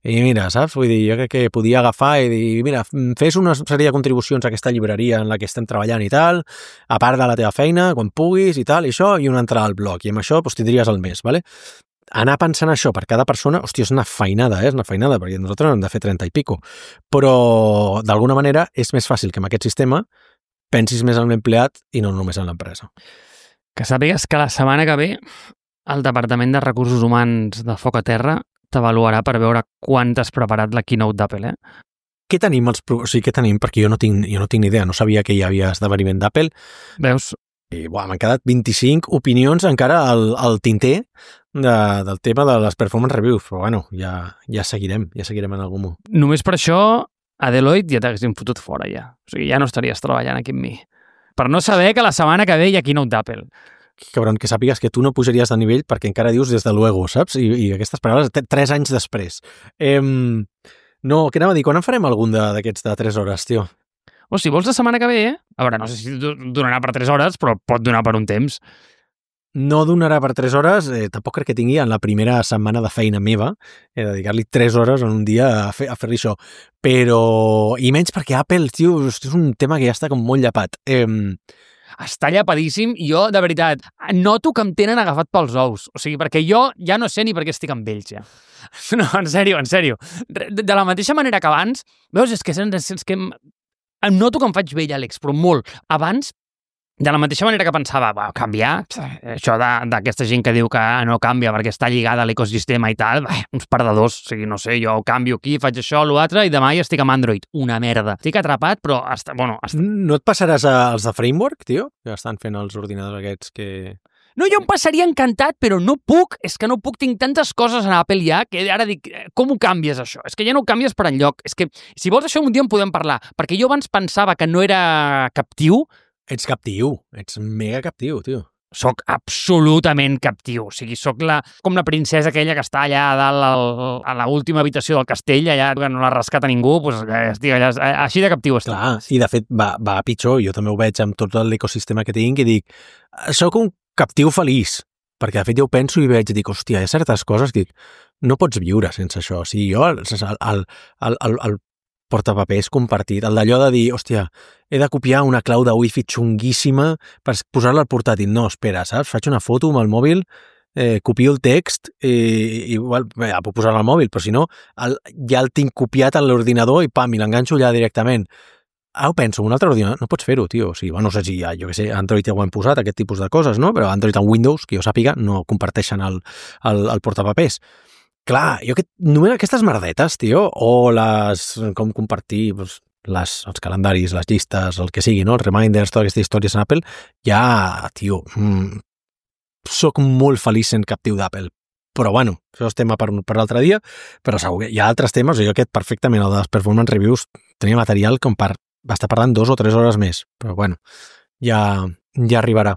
i mira, saps? Vull dir, jo crec que podia agafar i dir, mira, fes una sèrie de contribucions a aquesta llibreria en la que estem treballant i tal, a part de la teva feina, quan puguis i tal, i això, i una entrada al blog. I amb això doncs, tindries el mes, ¿vale? Anar pensant això per cada persona, hòstia, és una feinada, eh? És una feinada, perquè nosaltres hem de fer trenta i pico. Però, d'alguna manera, és més fàcil que amb aquest sistema pensis més en l'empleat i no només en l'empresa. Que sàpigues que la setmana que ve el Departament de Recursos Humans de Foc a Terra t'avaluarà per veure quant has preparat la keynote d'Apple, eh? Què tenim? Els pro... O sigui, què tenim? Perquè jo no tinc, jo no tinc ni idea, no sabia que hi havia esdeveniment d'Apple. Veus? I buah, m'han quedat vint-i-cinc opinions encara al, al tinter de, del tema de les performance reviews, però bueno, ja, ja seguirem, ja seguirem en algun moment. Només per això a Deloitte ja t'haguessin fotut fora ja. O sigui, ja no estaries treballant aquí amb mi. Per no saber que la setmana que ve hi ha keynote d'Apple. Cabron, que sàpigues que tu no pujaries de nivell perquè encara dius des de luego, saps? I, i aquestes paraules tres anys després. Eh, no, què anava a dir? Quan en farem algun d'aquests de tres hores, tio? O si vols la setmana que ve, eh? A veure, no sé si donarà per tres hores, però pot donar per un temps. No donarà per tres hores, eh, tampoc crec que tingui en la primera setmana de feina meva, eh, dedicar-li tres hores en un dia a, fer, a fer-li això. Però, i menys perquè Apple, tio, és un tema que ja està com molt llapat. Eh, Està llapadíssim i jo, de veritat, noto que em tenen agafat pels ous. O sigui, perquè jo ja no sé ni per què estic amb ells, ja. No, en sèrio, en sèrio. De, de la mateixa manera que abans, veus, és que, és que em, em noto que em faig vell, Àlex, però molt. Abans, de la mateixa manera que pensava, va, canviar, això d'aquesta gent que diu que no canvia perquè està lligada a l'ecosistema i tal, bah, uns perdedors, o sigui, no sé, jo canvio aquí, faig això, l'altre, i demà ja estic amb Android. Una merda. Estic atrapat, però, hasta, bueno... Hasta... No et passaràs als de Framework, tio? Que estan fent els ordinadors aquests que... No, jo em passaria encantat, però no puc, és que no puc, tinc tantes coses en Apple ja, que ara dic, com ho canvies això? És que ja no ho canvies per enlloc. És que, si vols això, un dia en podem parlar, perquè jo abans pensava que no era captiu. Ets captiu, ets mega captiu, tio. Soc absolutament captiu. O sigui, soc la, com la princesa aquella que està allà a dalt al, a l'última habitació del castell, allà que no la rescata ningú, doncs, estic allà, així de captiu estic. Clar, i de fet va, va pitjor. Jo també ho veig amb tot l'ecosistema que tinc i dic, soc un captiu feliç, perquè de fet jo ho penso i veig i dic, hòstia, hi ha certes coses que dic, no pots viure sense això. O sigui, jo, el, el, el, el, el portapapers compartit, el d'allò de dir, hòstia, he de copiar una clau de wifi xunguíssima per posar-la al portàtil. No, espera, saps? Faig una foto amb el mòbil, eh, copio el text i, i igual, bé, ja puc posar-la al mòbil, però si no, el, ja el tinc copiat a l'ordinador i pam, i l'enganxo allà directament. Ah, ho penso, un altre ordinador, no pots fer-ho, tio. O sigui, bueno, no sé si, jo què sé, Android ja ho hem posat, aquest tipus de coses, no? Però Android en Windows, que jo sàpiga, no comparteixen el, el, el portapapers. Clar, jo que, només aquestes merdetes, tio, o les, com compartir doncs, les, els calendaris, les llistes, el que sigui, no? Els reminders, totes aquestes històries en Apple, ja, tio, mm, soc molt feliç sent captiu d'Apple. Però bueno, això és tema per, per l'altre dia, però segur que hi ha altres temes, jo aquest perfectament, el de les performance reviews, tenia material com per va estar parlant dos o tres hores més, però bueno, ja, ja arribarà.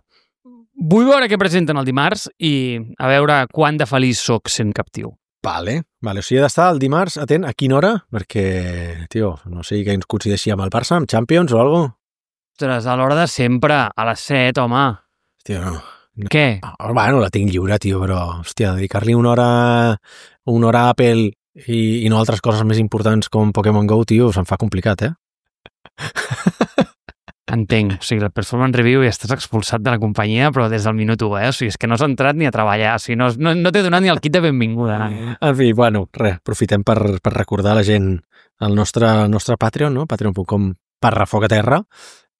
Vull veure què presenten el dimarts i a veure quant de feliç soc sent captiu. Vale, vale. O sigui, he d'estar el dimarts atent a quina hora, perquè, tio, no sé que ens coincideixi amb el Barça, amb Champions o alguna cosa. Ostres, a l'hora de sempre, a les set, home. Hòstia, no. Què? Oh, bueno, la tinc lliure, tio, però, hòstia, dedicar-li una hora, una hora a Apple i, i no altres coses més importants com Pokémon Go, tio, se'm fa complicat, eh? Entenc, o sigui, el performance review ja estàs expulsat de la companyia, però des del minut u, eh? O sigui, és que no has entrat ni a treballar, o sigui, no, no, no t'he donat ni el kit de benvinguda. No? En fi, bueno, res, aprofitem per, per recordar a la gent el nostre, el nostre Patreon, no? patreon punt com barra foc a terra,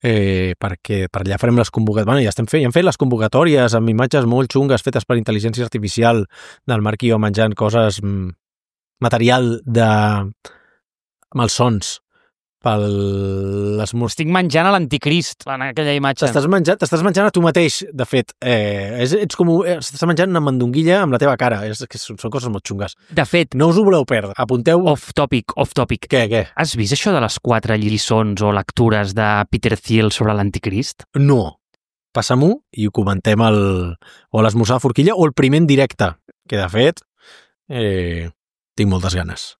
eh, perquè per allà farem les convocatòries, bueno, ja estem fent, ja hem fet les convocatòries amb imatges molt xungues fetes per intel·ligència artificial del Marc i jo menjant coses, material de malsons, pel les Estic menjant a l'anticrist en aquella imatge. T'estàs menjant, t'estàs menjant a tu mateix, de fet. Eh, és, ets com, estàs menjant una mandonguilla amb la teva cara. És, que són coses molt xungues. De fet, no us ho voleu perdre. Apunteu... Off topic, off topic. Què, què? Has vist això de les quatre lliçons o lectures de Peter Thiel sobre l'anticrist? No. Passa-m'ho i ho comentem el, o a l'esmorzar de forquilla o el primer en directe, que de fet eh, tinc moltes ganes.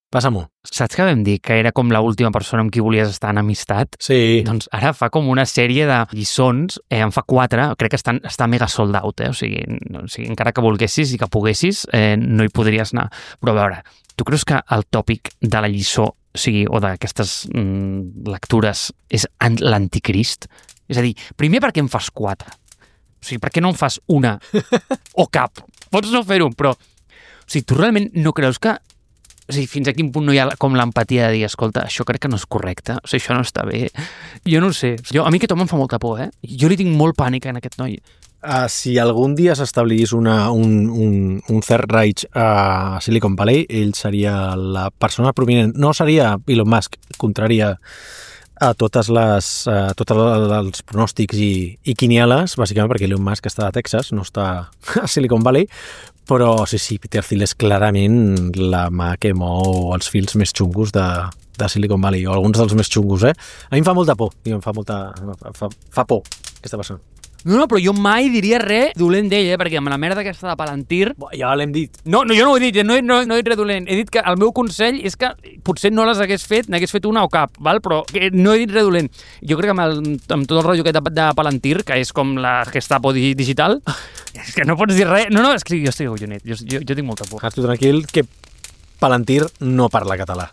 Passa-m'ho. Saps que vam dir que era com l'última persona amb qui volies estar en amistat? Sí. Doncs ara fa com una sèrie de lliçons, eh, en fa quatre, crec que estan, està mega sold out, eh? o, sigui, no, o sigui, encara que volguessis i que poguessis, eh, no hi podries anar. Però a veure, tu creus que el tòpic de la lliçó, o sigui, o d'aquestes mm, lectures és l'anticrist? És a dir, primer perquè en fas quatre. O sigui, per què no en fas una o cap? Pots no fer-ho, però... O sigui, tu realment no creus que... O sigui, fins a quin punt no hi ha com l'empatia de dir, escolta, això crec que no és correcte, o sigui, això no està bé. Jo no ho sé. Jo, a mi aquest home em fa molta por, eh? Jo li tinc molt pànic en aquest noi. Uh, si algun dia s'establís una, un, un, un third reich a Silicon Valley, ell seria la persona prominent. No seria Elon Musk, contraria a totes les, a tots els pronòstics i, i quinieles, bàsicament perquè Elon Musk està a Texas, no està a Silicon Valley, però sí, sí, Peter Thiel és clarament la mà que mou els fils més xungos de, de Silicon Valley, o alguns dels més xungos, eh? A mi em fa molta por, em fa molta... fa, fa por, aquesta persona. No, no, però jo mai diria res dolent d'ell, eh? Perquè amb la merda aquesta de Palantir... Ja l'hem dit. No, no, jo no ho he dit, no he, no, no he dit res dolent. He dit que el meu consell és que potser no les hagués fet, n'hagués fet una o cap, val? Però que no he dit res dolent. Jo crec que amb, el, amb tot el rotllo aquest de, de Palantir, que és com la Gestapo digital, és que no pots dir res. No, no, és que jo estic agullonet, jo, jo, jo tinc molta por. Estàs tu tranquil, que Palantir no parla català.